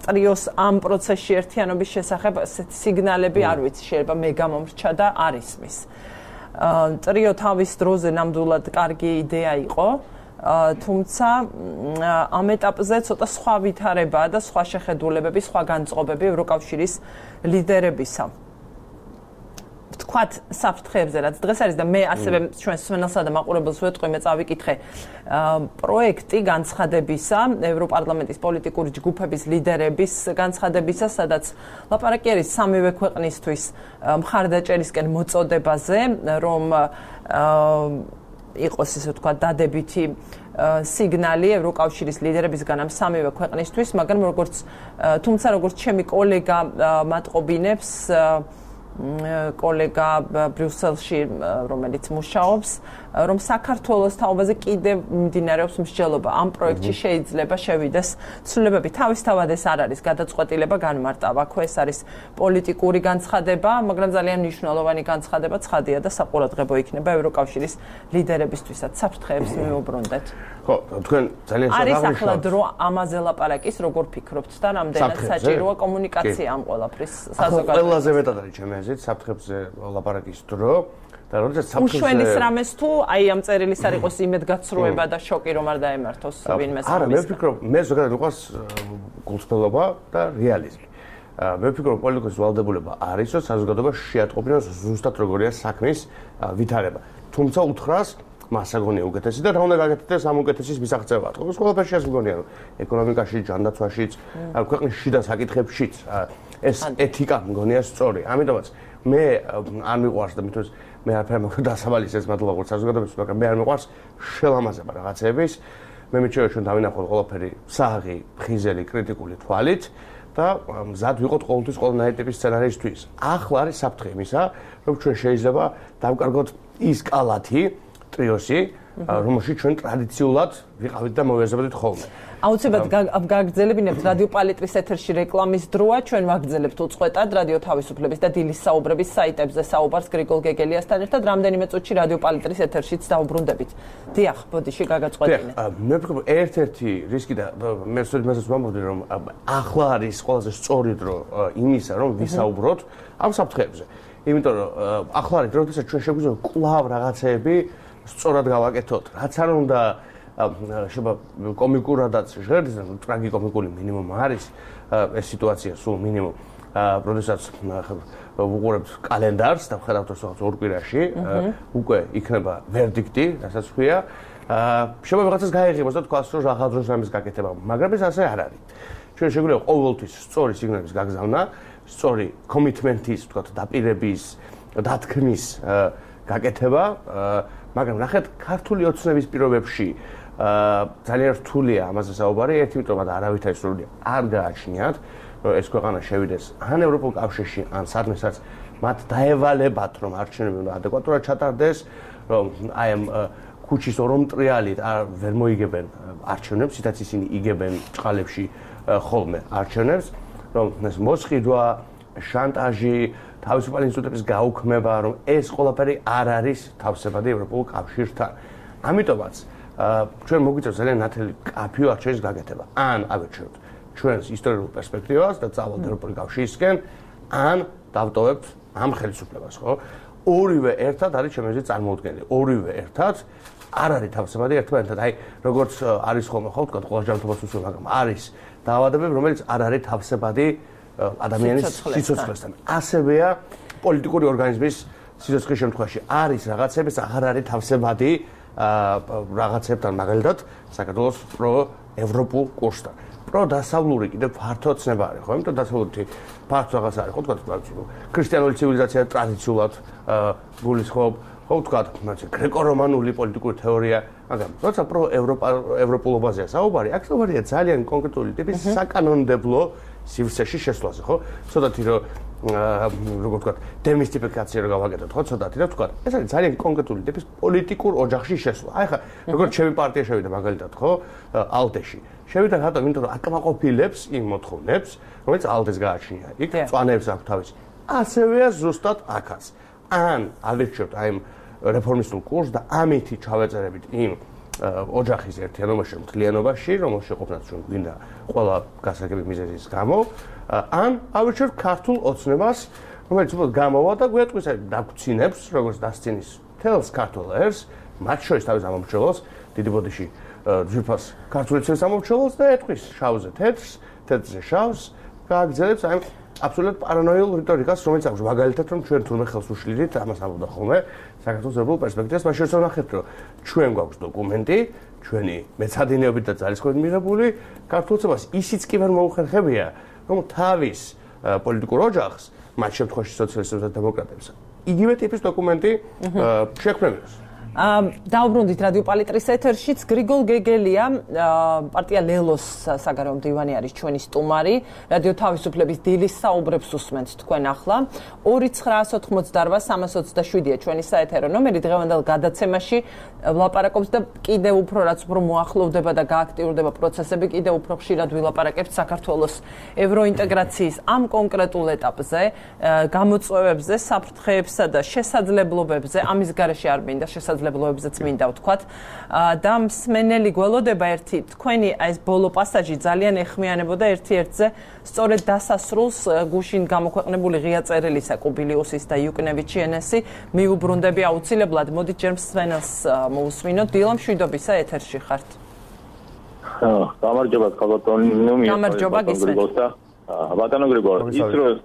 ტრიოს ამ პროცესში ერთიანობის შესახებ სიგნალები არ ვიცი, შეიძლება მე გამომრჩა და არ ისმის. ტრიო თავის დროზე ნამდვილად კარგი იდეა იყო, თუმცა ამ ეტაპზე ცოტა სხვა ვითარებაა და სხვა შეხედულებები, სხვა განწყობები ევროკავშირის ლიდერებისა. ვთქვათ საფრთხეებზე, რაც დღეს არის და მე ასევე ჩვენს მსმენელსა და მაყურებელს ვეტყვი, მე წავიკითხე პროექტი განცხადებისა, ევროპარლამენტის პოლიტიკური ჯგუფების ლიდერების განცხადებისა, სადაც ლაპარაკი არის სამივე ქვეყნისთვის მხარდაჭერისკენ მოწოდებაზე, რომ იყოს ისე ვთქვათ დადებითი სიგნალი ევროკავშირის ლიდერებისგან ამ სამივე ქვეყნისთვის, მაგრამ როგორც თუმცა როგორც ჩემი კოლეგა მატყობინებს კოლეგა ბრიუსელში, რომელიც მუშაობს, რომ საქართველოს თაობაზე კიდევ მიმდინარეობს მსჯელობა. ამ პროექტში შეიძლება შევიდეს ცვლილებები. თავისთავად ეს არ არის გადაწყვეტილება განმარტავა. ხო, ეს არის პოლიტიკური განცხადება, მაგრამ ძალიან მნიშვნელოვანი განცხადება, ცხადია და საყურადღებო იქნება ევროკავშირის ლიდერებისთვისაც. საფრთხეებს მივუბრუნდეთ. ხო, თქვენ ძალიან არის ახლა დრო ამაზე ლაპარაკის, როგორ ფიქრობთ და რამდენად საჭიროა კომუნიკაცია ამ ყველაფრის საზოგადოებაში? ყველაზე მეტად არის ჩემი აზრით საფრთხებზე ლაპარაკის დრო. და როდესაც საფრთხეზე უშველის რამეს თუ აი ამ წერილის არ იყოს იმედგაცრუება და შოკი რომ არ დაემართოს ვინმე არა მე ვფიქრობ მე ზოგადად მიყვარს გულწრფელობა და რეალიზმი. მე ვფიქრობ პოლიტიკის ვალდებულება არის რომ საზოგადოება შეატყობინოს ზუსტად როგორია საქმის ვითარება. თუმცა უთხრას მას აგონია უკეთესი და რა უნდა გაკეთდეს ამ უკეთესის მისაღწევად. ყოველ ყველაფერში ეს მგონია რომ ეკონომიკაში, ჯანდაცვაშიც, ქვეყნის შიდა საკითხებშიც ეს ეთიკა მგონია სწორი. ამიტომაც მე არ მიყვარს და მithos მე არაფერ მაგ დასავალის ეს მადლობა როგორც საზოგადოებას, მაგრამ მე არ მიყვარს შელამაზება რაღაცების. მე მიჩვენა ჩვენ დავინახოთ ყველაფერი საღი, ფხიზელი, კრიტიკული თვალით და მზად ვიყოთ ყოველთვის ყველანაირი ტიპის სცენარისთვის. ახლა არის საფრთხე იმისა, რომ ჩვენ შეიძლება დავკარგოთ ის კალათი ტრიოსი, რომელშიც ჩვენ ტრადიციულად ვიყავით და მოვიაზრებოდით ხოლმე. აუცილებლად გაგრძელებინებთ რადიო პალიტრის ეთერში რეკლამის დროა, ჩვენ ვაგრძელებთ უწყვეტად რადიო თავისუფლების და დილის საუბრების საიტებზე საუბარს გრიგოლ გეგელიასთან ერთად, რამდენიმე წუთში რადიო პალიტრის ეთერშიც დაუბრუნდებით. დიახ, ბოდიში გაგაწყვეტინე. მე ვფიქრობ, ერთ-ერთი რისკი და მე სწორედ ვამბობდი, რომ ახლა არის ყველაზე სწორი დრო იმისა, რომ ვისაუბროთ ამ საფრთხეებზე. იმიტომ რომ ახლა არის დრო, როდესაც ჩვენ შეგვიძლია კვლავ რაღაცეები სწორად გავაკეთოთ. რაც არ უნდა შეიძლება კომიკურადაც ჟღერდეს, ტრაგიკომიკული მინიმუმ არის ეს სიტუაცია სულ მინიმუმ. როდესაც ვუყურებთ კალენდარს და ვხედავთ რომ ორი კვირაში უკვე იქნება ვერდიქტი, რასაც ქვია. შეიძლება რაღაცას გაიღებოს და თქვას რომ რაღაც დროს ამის გაკეთება, მაგრამ ეს ასე არ არის. ჩვენ შეგვიძლია ყოველთვის სწორი სიგნალების გაგზავნა, სწორი კომიტმენტის, თქვათ, დაპირების, დათქმის გაკეთება, მაგრამ ნახეთ ქართული ოცნების პირობებში ძალიან რთულია ამაზე საუბარი, ერთი იმიტომ რომ არავითარი სრული არ გააჩნიათ, რომ ეს ქვეყანა შევიდეს ან ევროპულ კავშირში, ან სადმესაც მათ დაევალებათ, რომ არჩევნები უნდა ადეკვატურად ჩატარდეს, რომ აი ამ ქუჩის ორომტრიალით ვერ მოიგებენ არჩევნებს, ისიც ისინი იგებენ წყალებში ხოლმე არჩევნებს, რომ ეს მოსყიდვა, შანტაჟი, თავისუფალი ინსტიტუტების გაუქმება, რომ ეს ყველაფერი არ არის თავსებადი ევროპულ კავშირთან. ამიტომაც ჩვენ მოგვიწევს ძალიან ნათელი კაფეო არჩევის გაკეთება. ან ავერჩევთ ჩვენს ისტორიულ პერსპექტივას და წავალთ ევროპული კავშირისკენ, ან დავტოვებთ ამ ხელისუფლებას, ხო? ორივე ერთად არის ჩემი აზრით წარმოუდგენელი. ორივე ერთად არ არის თავსებადი ერთმანეთთან. აი, როგორც არის ხოლმე ხო, თქვა, ყველა ჯანმრთელობას უსწრებს, მაგრამ არის დაავადებები, რომელიც არ არის თავსებადი ადამიანის სიცოცხლესთან. ასევეა პოლიტიკური ორგანიზმის სიცოცხლის შემთხვევაში. არის რაღაცები, აღარ არის თავსებადი რაღაცებთან, მაგალითად, საქართველოს პრო-ევროპულ კურსთან. პროდასავლური კიდე ფართო ცნება არის, ხო? იმიტომ დასავლური ფართო რაღაც არის, ხო, თქვა, ქრისტიანული ცივილიზაცია ტრადიციულად გულისხმობ, ხო, თქვა, გრეკო-რომანული პოლიტიკური თეორია, მაგრამ როცა პრო ევროპა ევროპულობაზეა საუბარი, აქ საუბარია ძალიან კონკრეტული ტიპის საკანონმდებლო სივრცეში შესვლაზე, ხო? ცოტათი რომ როგორ ვთქვა, დემისტიფიკაცია რო გავაკეთოთ, ხო, ცოტათი რა ვთქვა, ეს არის ძალიან კონკრეტული ტიპის პოლიტიკურ ოჯახში შესვლა. აი ხა, როგორც ჩემი პარტია შევიდა მაგალითად, ხო, ალტეში. შევიდა რატომ? იმიტომ რომ აკმაყოფილებს იმ მოთხოვნებს, რომელიც ალტეს გააჩნია. იქ წვანებს აქვს თავისი. ასევეა ზუსტად აქაც. ან ალერჩიოთ აი რეფორმისტულ კურსს და ამითი ჩავეწერებით იმ ოჯახის ერთიანობაში, მთლიანობაში, რომელშიც ყოფნაც ჩვენ გვინდა ყველა გასაგები მიზეზის გამო, ან ავირჩიოთ ქართულ ოცნებას, რომელიც უბრალოდ გამოვა და გვეტყვის აი დაგვრცინებს, როგორც დასცინის თელს ქართულ ერს, მათ შორის თავის ამომრჩევლს, დიდი ბოდიში ძვირფას ქართული ცევის ამომრჩევლს და ეტყვის შავზე თეთრს, თეთრზე შავს, გააგრძელებს აი აბსოლუტურად პარანოიულ რიტორიკას, რომელიც აქვს მაგალითად რომ ჩვენ თურმე ხელს უშლიდით, ამას ამბობდა ხოლმე საქართველოს ეროვნულ პერსპექტივას, მას შორის ვნახეთ, რომ ჩვენ გვაქვს დოკუმენტი, ჩვენი მეცადინეობით და ძალისხმევით მიღებული ქართულცებას ისიც კი ვერ მოუხერხებია, რომ თავის პოლიტიკურ ოჯახს, მათ შემთხვევაში სოციალისტებს და დემოკრატებს, იგივე ტიპის დოკუმენტი შექმნებინოს. დაუბრუნდით რადიო პალიტრის ეთერშიც გრიგოლ გეგელია, პარტია ლელოს საგარეო მდივანი არის ჩვენი სტუმარი. რადიო თავისუფლების დილის საუბრებს უსმენთ თქვენ ახლა. ორი ცხრაას ოთხმოცდარვა სამას ოცდაშვიდია ჩვენი საეთერო ნომერი. დღევანდელ გადაცემაში ვლაპარაკობს და კიდევ უფრო რაც უფრო მოახლოვდება და გააქტიურდება პროცესები, კიდევ უფრო ხშირად ვილაპარაკებთ საქართველოს ევროინტეგრაციის ამ კონკრეტულ ეტაპზე, გამოწვევებზე, საფრთხეებსა და შესაძლებლობებზე, ამის გარეშე არ მინდა შესაძლებლობებზე ლებლოებზეც მინდა ვთქვათ და მსმენელი გველოდება ერთი თქვენი აი ეს ბოლო პასაჟი ძალიან ეხმიანებოდა ერთი-ერთზე სწორედ დასასრულს გუშინ გამოქვეყნებული ღია წერილისა კუბილიუსის და იუკნევიჩიენესი მიუბრუნდები აუცილებლად მოდით ჯერ მსმენელს მოусმინოთ დილა მშვიდობისა ეთერში ხართ. გამარჯობა ქალბატონო გამარჯობა გისმენთ. ბატონო გრიგორ ის რომ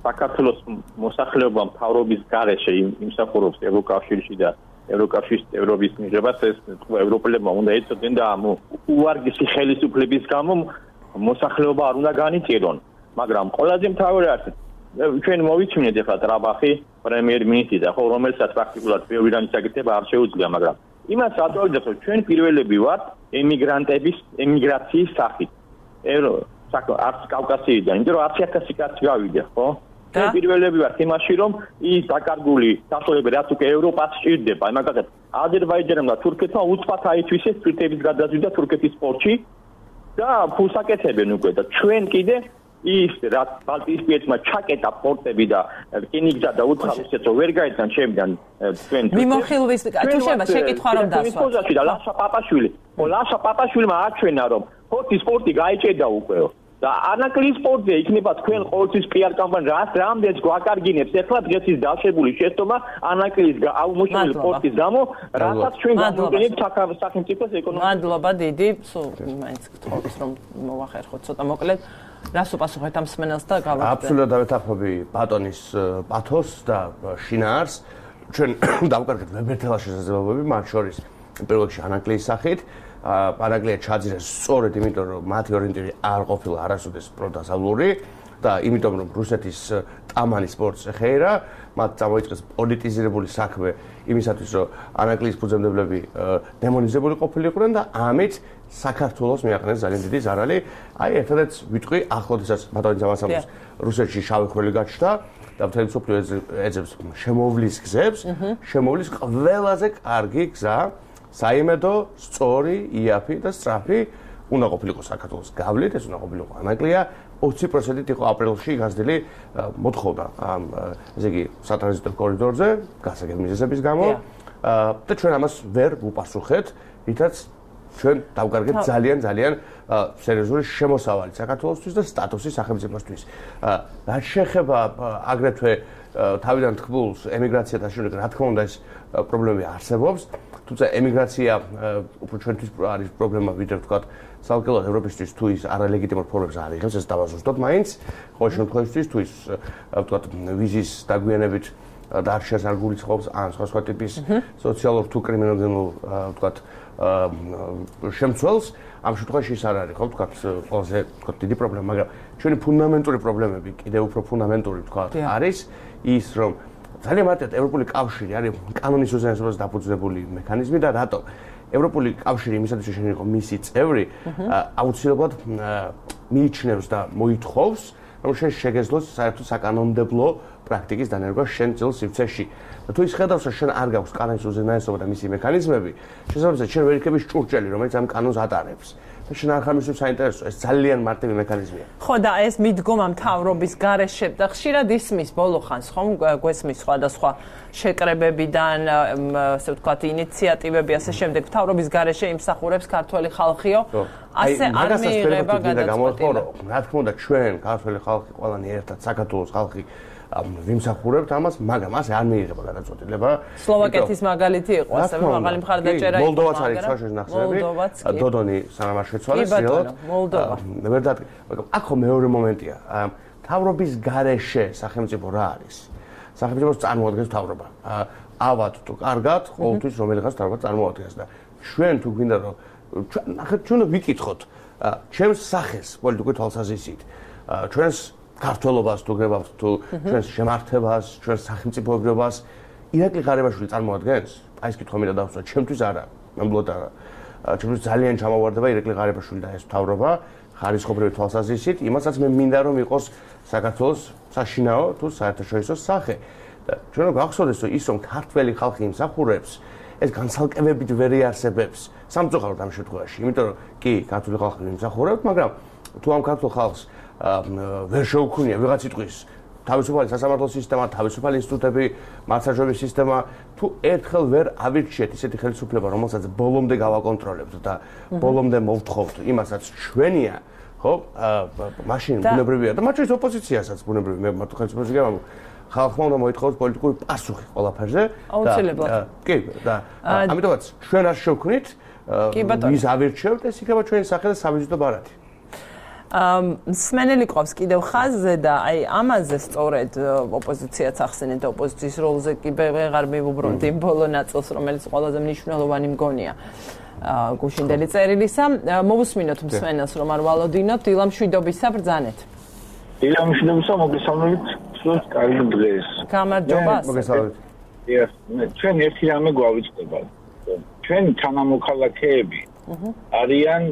საქართველოს მოსახლეობა მთავრობის გარეშე იმსახურობს ევროკავშირში და ევროკავშირის ევროპის მიღებას ეს ევროპელებმა უნდა ეწოდენ და ამ უარგისი ხელისუფლების გამო მოსახლეობა არ უნდა განიწირონ, მაგრამ ყველაზე მთავარი არის ჩვენ მოვიჩვენეთ ახლა ტრაბახი პრემიერ-მინისტრი და ხო რომელსაც პრაქტიკულად ბევრიდან საკითხება არ შეუძლია, მაგრამ იმას ატოლდებს რომ ჩვენ პირველები ვართ ემიგრანტების ემიგრაციის სახით. ევრო საკ არც კავკასიიდან, იმიტომ რომ ათი ათასი კაცი გავიდა, ხო? ჩვენ პირველები ვართ იმაში რომ ის დაკარგული საშუალებები რაც უკვე ევროპას სჭირდება, აი მაგალითად აზერბაიჯანმა და თურქეთმა უცბად აითვისეს სპირტების გადაზვიდა თურქეთის პორტში და ფულს აკეთებენ უკვე და ჩვენ კიდე ის რაც ბალტიისპირეთმა ჩაკეტა პორტები და რკინიგზა და უცხოეთს ვერ გაიძან ჩემიდან ჩვენ მიმოხილვის თუ შეიძლება შეკითხვა რომ დასვა და ლაშა პაპაშვილი ხო ლაშა პაპაშვილმა აჩვენა რომ ფორტის პორტი გაიჭედა უკვე და ანაკლის სპორტზე იქნება თქვენ ყოველთვის პიარ კამპანია რას რამდენს გვაკარგინებს ახლა დღეის დაშებული შეცდომა ანაკლის აუმოშრული სპორტის გამო რასაც ჩვენ გამოვიყენებთ სახელმწიფოს ეკონომიკას. მადლობა დიდი, სულ მაინც გთხოვთ რომ მოვახერხოთ ცოტა მოკლედ. რას უპასუხეთ ამ მსმენელს და გავაკეთეთ? აბსოლუტურად დავეთანხმები ბატონის პათოს და შინაარს. ჩვენ დავკარგეთ ვებერთელა შესაძლებლობები, მათ შორის პირველ რიგში ანაკლის სახით. პარაგლია ჩაძირეს სწორედ იმიტომ რომ მათი ორიენტირი არ ყოფილა არასოდეს პროდასავლური და იმიტომ რომ რუსეთის ტამანი სპორტს ეხეირა, მათ წამოიწყეს პოლიტიზირებული საქმე იმისათვის რომ ანაკლის ფუძემდებლები დემონიზებული ყოფილიყვნენ და ამით საქართველოს მიაყენეს ძალიან დიდი ზარალი. აი ერთადაც ვიტყვი ახლოდესაც ბატონის ამასამოს რუსეთში შავი ხვრელი გაჩნდა და მთელი მსოფლიო ეძებს შემოვლის გზებს, შემოვლის ყველაზე კარგი გზა საიმედო, სწორი, იაფი და სწრაფი უნდა ყოფილიყო საქართველოს გავლით, ეს უნდა ყოფილიყო ანაკლია, ოცი პროცენტით იყო აპრილში გაზრდილი მოთხოვნა ამ ესე იგი სატრანზიტო კორიდორზე, გასაგებ მიზეზების გამო და ჩვენ ამას ვერ ვუპასუხეთ, რითაც ჩვენ დავკარგეთ ძალიან ძალიან სერიოზული შემოსავალი საქართველოსთვის და სტატუსი სახელმწიფოსთვის. რაც შეეხება აგრეთვე თავიდან თქმულს ემიგრაციათან შედარებით, რა თქმა უნდა ეს პრობლემები არსებობს. თუმცა ემიგრაცია უფრო ჩვენთვის არის პრობლემა ვიდრე ვთქვათ სალკელად ევროპისთვის თუ ის არალეგიტიმურ ფორმებს არ იღებს, ეს დავაზუსტოთ მაინც. ყოველ შემთხვევაში თუ ის ვთქვათ ვიზის დაგვიანებით დარჩენს არ გულისხმობს ან სხვა სხვა ტიპის სოციალურ თუ კრიმინალურ ვთქვათ შემცველს ამ შემთხვევაში ის არ არის ხო თქვა ყველაზე თქვა დიდი პრობლემა მაგრამ ჩვენი ფუნდამენტური პრობლემები კიდევ უფრო ფუნდამენტური თქვა არის ის რომ ძალიან მარტივად ევროპული კავშირი არის კანონის უზენაესობას დაფუძნებული მექანიზმი და რატომ ევროპული კავშირი იმისათვის რომ შეიძლება იყოს მისი წევრი აუცილებლად მიიჩნევს და მოითხოვს რომ შენ შეგეძლოს საერთოდ საკანონმდებლო პრაქტიკის დანერგვა შენ ძილ სივრცეში და თუ ის ხედავს რომ შენ არ გაქვს კანონის უზენაესობა და მისი მექანიზმები შესაბამისად შენ ვერ იქნები ჭურჭელი რომელიც ამ კანონს ატარებს და შენ არ ხარ მისთვის საინტერესო ეს ძალიან მარტივი მექანიზმია ხო და ეს მიდგომა მთავრობის გარეშე და ხშირად ისმის ბოლო ხანს ხომ გვესმის სხვადასხვა შეკრებებიდან ასე ვთქვათ ინიციატივები ასე შემდეგ მთავრობის გარეშე იმსახურებს ქართველი ხალხიო ასე არ მიიღება გადაწყვეტილება რა თქმა უნდა ჩვენ ქართველი ხალხი ყველანი ერთად საქართველოს ხალხი ვიმსახურებთ ამას, მაგრამ ასე არ მიიღება გადაწყვეტილება. სლოვაკეთის მაგალითი იყო, ასევე მაღალი მხარდაჭერა იყო. მოლდოვაც არის საერთოდ ნახსენები. დოდონი სანამ არ შეცვალეს, რეალურად. მოლდოვა. ვერ დადგა, მაგრამ აქ მეორე მომენტია. მთავრობის გარეშე სახელმწიფო რა არის? სახელმწიფოს წარმოადგენს მთავრობა. ავად თუ კარგად, ყოველთვის რომელიღაც მთავრობა წარმოადგენს და ჩვენ თუ გვინდა რომ ნახეთ ჩვენ ვიკითხოთ ჩემს სახეს პოლიტიკური თვალსაზრისით. ჩვენს ქართველობას თუ გრებავთ თუ ჩვენს შემართებას, ჩვენს სახელმწიფოებრიობას ირაკლი ღარიბაშვილი წარმოადგენს? აი ეს კითხვა მინდა დავსვა, ჩემთვის არა, ნამდვილად არა. ჩემთვის ძალიან ჩამოვარდება ირაკლი ღარიბაშვილი და ეს მთავრობა ხარისხობრივი თვალსაზრისით, იმასაც მე მინდა რომ იყოს საქართველოს საშინაო თუ საერთაშორისო სახე. და ჩვენ რომ გახსოვდეს რომ ის რომ ქართველი ხალხი იმსახურებს, ეს განცალკევებით ვერ იარსებებს სამწუხაროდ ამ შემთხვევაში, იმიტომ რომ კი ქართული ხალხი იმსახურებს, მაგრამ თუ ამ ქართულ ხალხს ვერ შეუქმნია ვიღაც იტყვის თავისუფალი სასამართლო სისტემა, თავისუფალი ინსტიტუტები, მართლმსაჯულების სისტემა, თუ ერთხელ ვერ ავირჩიეთ ისეთი ხელისუფლება, რომელსაც ბოლომდე გავაკონტროლებთ და ბოლომდე მოვთხოვთ იმასაც ჩვენია, ხო? მაშინ ბუნებრივია და მათ შორის ოპოზიციასაც ბუნებრივი მე მარტო ხელისუფლებას გიგამ ხალხმა უნდა მოითხოვოს პოლიტიკური პასუხი ყველაფერზე და კი და ამიტომაც ჩვენ არ შევქმნით ვის ავირჩევთ ეს იქნება ჩვენი სახე და სამიზიდო ბარათი სმენელი ყავს კიდევ ხაზზე და აი ამაზე სწორედ ოპოზიციაც ახსენეთ და ოპოზიციის როლზე კი ვეღარ მივუბრუნდი იმ ბოლო ნაწილს რომელიც ყველაზე მნიშვნელოვანი მგონია გუშინდელი წერილისა მოვუსმინოთ მსმენელს რომ არ ვალოდინოთ დილამშვიდობისა ბრძანეთ დილამშვიდობისა მოგესალმებით სულ კარგი დღეს გამარჯობა მოგესალმებით ჩვენ ერთი რამე გვავიწყდება ჩვენი თანამოქალაქეები არიან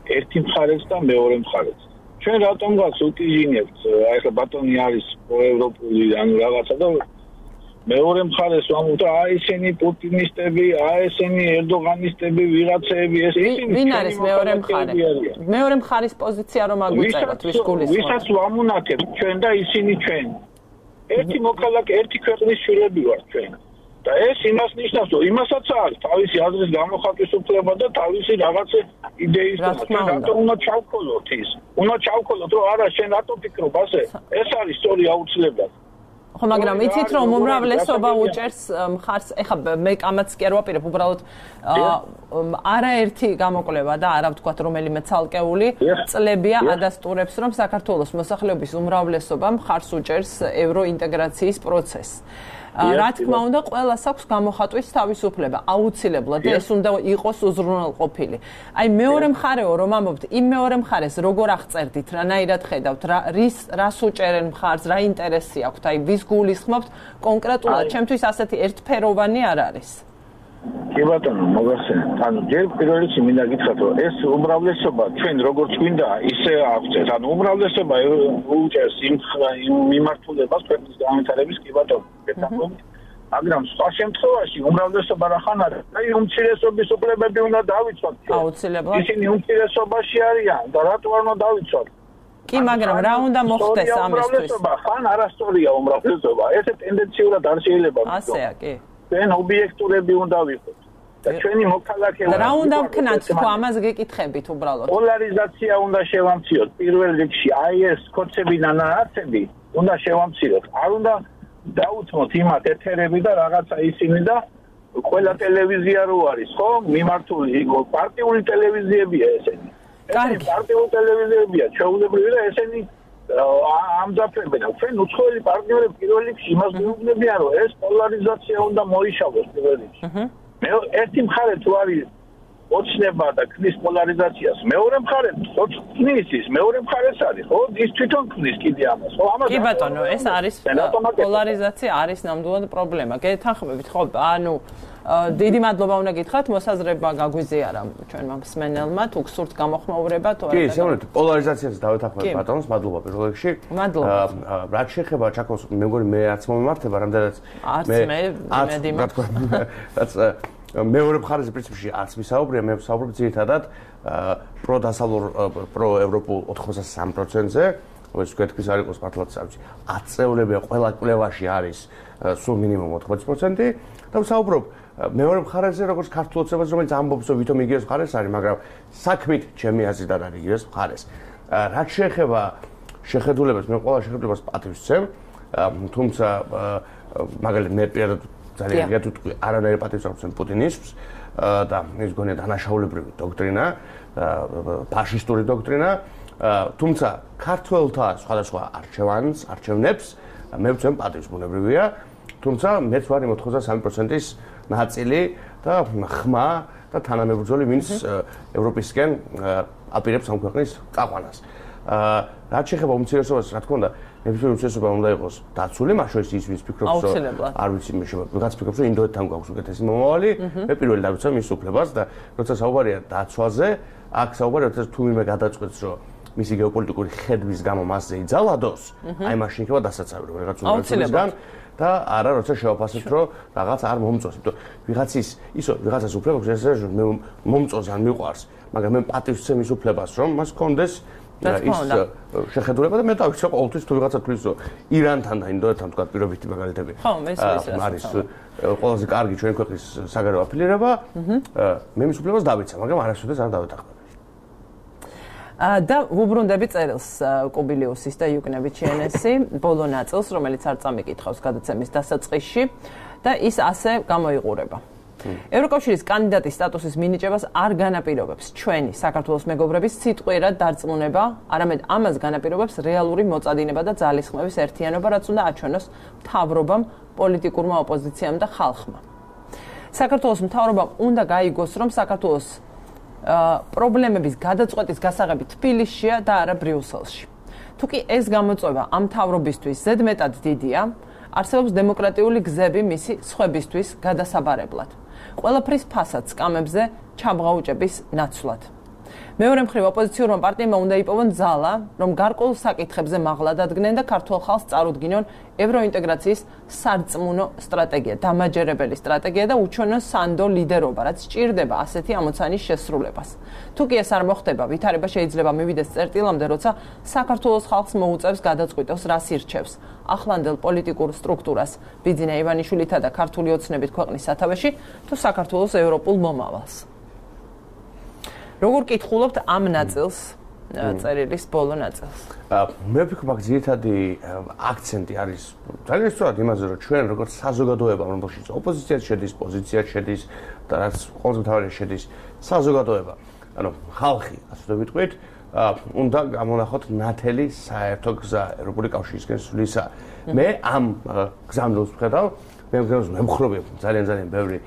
ერთი მხარეც და მეორე მხარეც. ჩვენ რატომღაც უტიჟინებთ, აი ხა ბატონი არის პროევროპული ანუ რაღაცა და მეორე მხარეს ვამბობთ, აი ესენი პუტინისტები, აი ესენი ერდოღანისტები, ვიღაცები, ეს ისინი ვინ არის მეორე მხარე? მეორე მხარის პოზიცია რომ აგვიწეროთ, ვის გულისხმობთ? ვისაც ვამუნათებთ ჩვენ და ისინი ჩვენ. ერთი მოქალაქე, ერთი ქვეყნის შვილები ვართ ჩვენ. და ეს იმას ნიშნავს, რომ იმასაც აქვს თავისი აზრის გამოხატვის უფლება და თავისი რაღაცა იდეის და რატომ უნდა ჩავქოლოთ ის? უნდა ჩავქოლოთ, რომ არა, შენ რატო ფიქრობ ასე? ეს არის სწორი აუცილებლად. ხო, მაგრამ იცით რომ უმრავლესობა უჭერს მხარს, ეხლა მე ამაც კი არ ვაპირებ, უბრალოდ არაერთი გამოკვლევა და არა ვთქვათ რომელიმე ცალკეული წლებია ადასტურებს, რომ საქართველოს მოსახლეობის უმრავლესობა მხარს უჭერს ევროინტეგრაციის პროცესს. რა თქმა უნდა, ყველას აქვს გამოხატვის თავისუფლება, აუცილებლად და ეს უნდა იყოს უზრუნველყოფილი. აი მეორე მხარეო რომ ამბობთ, იმ მეორე მხარეს როგორ აღწერდით, რანაირად ხედავთ, რის რას უჭერენ მხარს, რა ინტერესი აქვთ, აი ვის გულისხმობთ კონკრეტულად, ჩემთვის ასეთი ერთფეროვანი არ არის. კი ბატონო, მოგახსენეთ. ანუ ჯერ პირველ რიგში მინდა გითხრათ, რომ ეს უმრავლესობა ჩვენ როგორც გვინდა, ისე აღწერს. ანუ უმრავლესობა უჭერს იმ მიმართულებას ქვეყნის განვითარების კი ბატონო. მაგრამ სხვა შემთხვევაში უმრავლესობა რახან არის? აი უმცირესობის უფლებები უნდა დავიცვათ. აუცილებლად. ისინი უმცირესობაში არიან და რატო არ უნდა დავიცვათ? კი, მაგრამ რა უნდა მოხდეს ამისთვის? ხან არასწორია უმრავლესობა. ესე ტენდენციურად არ შეიძლება. ასეა, კი. ჩვენ ობიექტურები უნდა ვიყოთ. და ჩვენი მოქალაქეობა რა უნდა ვქნათ თქვა ამას გეკითხებით უბრალოდ. პოლარიზაცია უნდა შევამციროთ. პირველ რიგში აი ეს კოცები და ნაარსები უნდა შევამციროთ. არ უნდა დაუცმოთ იმათ ეთერები და რაღაცა ისინი და ყველა ტელევიზია რო არის, ხო? მიმართული პარტიული ტელევიზიებია ესენი. კარგი. პარტიული ტელევიზიებია, ჩვეულებრივი და ესენი ამძაფრებენ. ჩვენ უცხოელი პარტნიორები პირველ რიგში იმას გვეუბნებიან, რომ ეს პოლარიზაცია უნდა მოიშალოს პირველ რიგში. მე ერთი მხარე თუ არის ოცნება და ქმნის პოლარიზაციას. მეორე მხარეს ქმნის ის, მეორე მხარეს არის, ხო? ის თვითონ ქმნის კიდე ამას. ხო, ამას. კი ბატონო, ეს არის პოლარიზაცია არის ნამდვილად პრობლემა. გეთანხმებით, ხო? ანუ დიდი მადლობა უნდა გითხრათ, მოსაზრება გაგვიზიარა ჩვენმა მსმენელმა, თუ გსურთ გამოხმაურება, თუ არა. კი, შეგვიძლია პოლარიზაციას დავეთანხმებით ბატონოს, მადლობა პირველ რიგში. მადლობა. რაც შეეხება ჩაკოს, მე მგონი მე არც მომემართება, რამდენიც მე მედი რაც მეორე მხარეზე პრინციპში არც ვისაუბრია, მე ვსაუბრობ ძირითადად პროდასავლურ პროევროპულ ოთხმოცდა სამი პროცენტზე, ეს თქვენთვის არ იყოს მართლაც სამი. აწეულებია ყველა კვლევაში არის სულ მინიმუმ ოთხმოცი პროცენტი და ვსაუბრობ მეორე მხარეზე, როგორც ქართულ ოცნებას, რომელიც ამბობს, რომ ვითომ იგივეს მხარეს არის, მაგრამ საქმით ჩემი აზრით არ არის იგივეს მხარეს. რაც შეეხება შეხედულებას, მე ყველა შეხედულებას პატივს ვცემ, თუმცა მაგალითად მე პირადად ძალიან გეტყვი, არანაირი პატივს არ ვცემ პუტინისს და ის გონია დანაშაულებრივი დოქტრინა, ფაშისტური დოქტრინა, თუმცა ქართველთა სხვადასხვა არჩევანს, არჩევნებს მე ვცემ პატივს, ბუნებრივია, თუმცა მეც ვარ იმ ოთხმოცდა სამი პროცენტის ნაწილი და ხმა და თანამებრძოლი, ვინც ევროპისკენ აპირებს ამ ქვეყნის წაყვანას. რაც შეეხება უმცირესობას, რა თქმა უნდა, ნებისმიერი უმცირესობა უნდა იყოს დაცული, მაშინ ის ვის ფიქრობს, რომ არ ვიცი, მე შემო, ვიღაც ფიქრობს, რომ ინდოეთთან გვაქვს უკეთესი მომავალი, მე პირველი დავიცავ მის უფლებას და როცა საუბარია დაცვაზე, აქ საუბარია, როცა თუ ვინმე გადაწყვეტს, რომ მისი გეოპოლიტიკური ხედვის გამო მასზე იძალადოს, აი მაშინ იქნება დასაცავი, რომ რაღაც უნარისგან და არა როცა შევაფასებთ, რომ რაღაც არ მომწონს, იმიტომ ვიღაცის ისო ვიღაცას უფლება აქვს, ეს მე მომწონს ან მიყვარს, მაგრამ მე პატივს ვცემ ის უფლებას, რომ მას ჰქონდეს ის შეხედულება და მე დავიცავ ყოველთვის თუ ვიღაცა თulis რომ ირანთან და ინდოეთთან თქვა პირობითი მაგალითები. ხო, მე ის არის ყველაზე კარგი ჩვენ ქვეყნის საგარეო აფილირება. მე მის უფლებას დავიცავ, მაგრამ არასოდეს არ დავეთანხმებ. და ვუბრუნდები წერილს კუბილიუსის და იუკნევიჩიენესი ბოლო ნაწილს, რომელიც არ წამიკითხავს გადაცემის დასაწყისში და ის ასე გამოიყურება. ევროკავშირის კანდიდატის სტატუსის მინიჭებას არ განაპირობებს ჩვენი საქართველოს მეგობრების სიტყვიერად დარწმუნება, არამედ ამას განაპირობებს რეალური მოწადინება და ძალისხმევის ერთიანობა, რაც უნდა აჩვენოს მთავრობამ, პოლიტიკურმა ოპოზიციამ და ხალხმა. საქართველოს მთავრობამ უნდა გაიგოს, რომ საქართველოს პრობლემების გადაწყვეტის გასაღები თბილისშია და არა ბრიუსელში. თუკი ეს გამოწვევა ამ მთავრობისთვის ზედმეტად დიდია, არსებობს დემოკრატიული გზები მისი სხვებისთვის გადასაბარებლად. ყველაფრის ფასად სკამებზე ჩამღაუჭების ნაცვლად. მეორე მხრივ ოპოზიციურმა პარტიებმა უნდა იპოვონ ძალა, რომ გარკვეულ საკითხებზე მაღლა დადგნენ და ქართულ ხალხს წარუდგინონ ევროინტეგრაციის სარწმუნო სტრატეგია, დამაჯერებელი სტრატეგია და უჩვენონ სანდო ლიდერობა, რაც სჭირდება ასეთი ამოცანის შესრულებას. თუკი ეს არ მოხდება, ვითარება შეიძლება მივიდეს წერტილამდე, როცა საქართველოს ხალხს მოუწევს გადაწყვიტოს, რას ირჩევს. ახლანდელ პოლიტიკურ სტრუქტურას, ბიძინა ივანიშვილითა და ქართული ოცნებით ქვეყნის სათავეში, თუ საქართველოს ევროპულ მომავალს. როგორ კითხულობთ ამ ნაწილს, წერილის ბოლო ნაწილს? მე ვფიქრობ, აქ ძირითადი აქცენტი არის ძალიან სწორად იმაზე, რომ ჩვენ როგორც საზოგადოება, რომელშიც ოპოზიციაც შედის, პოზიციაც შედის და რაც ყველაზე მთავარია შედის საზოგადოება, ანუ ხალხი, ასე ვიტყვით, უნდა გამონახოთ ნათელი საერთო გზა ევროპული კავშირისკენ სვლისა. მე ამ გზამდელს ვხედავ, მე გზამდელს ვემხრობებ ძალიან ძალიან ბევრი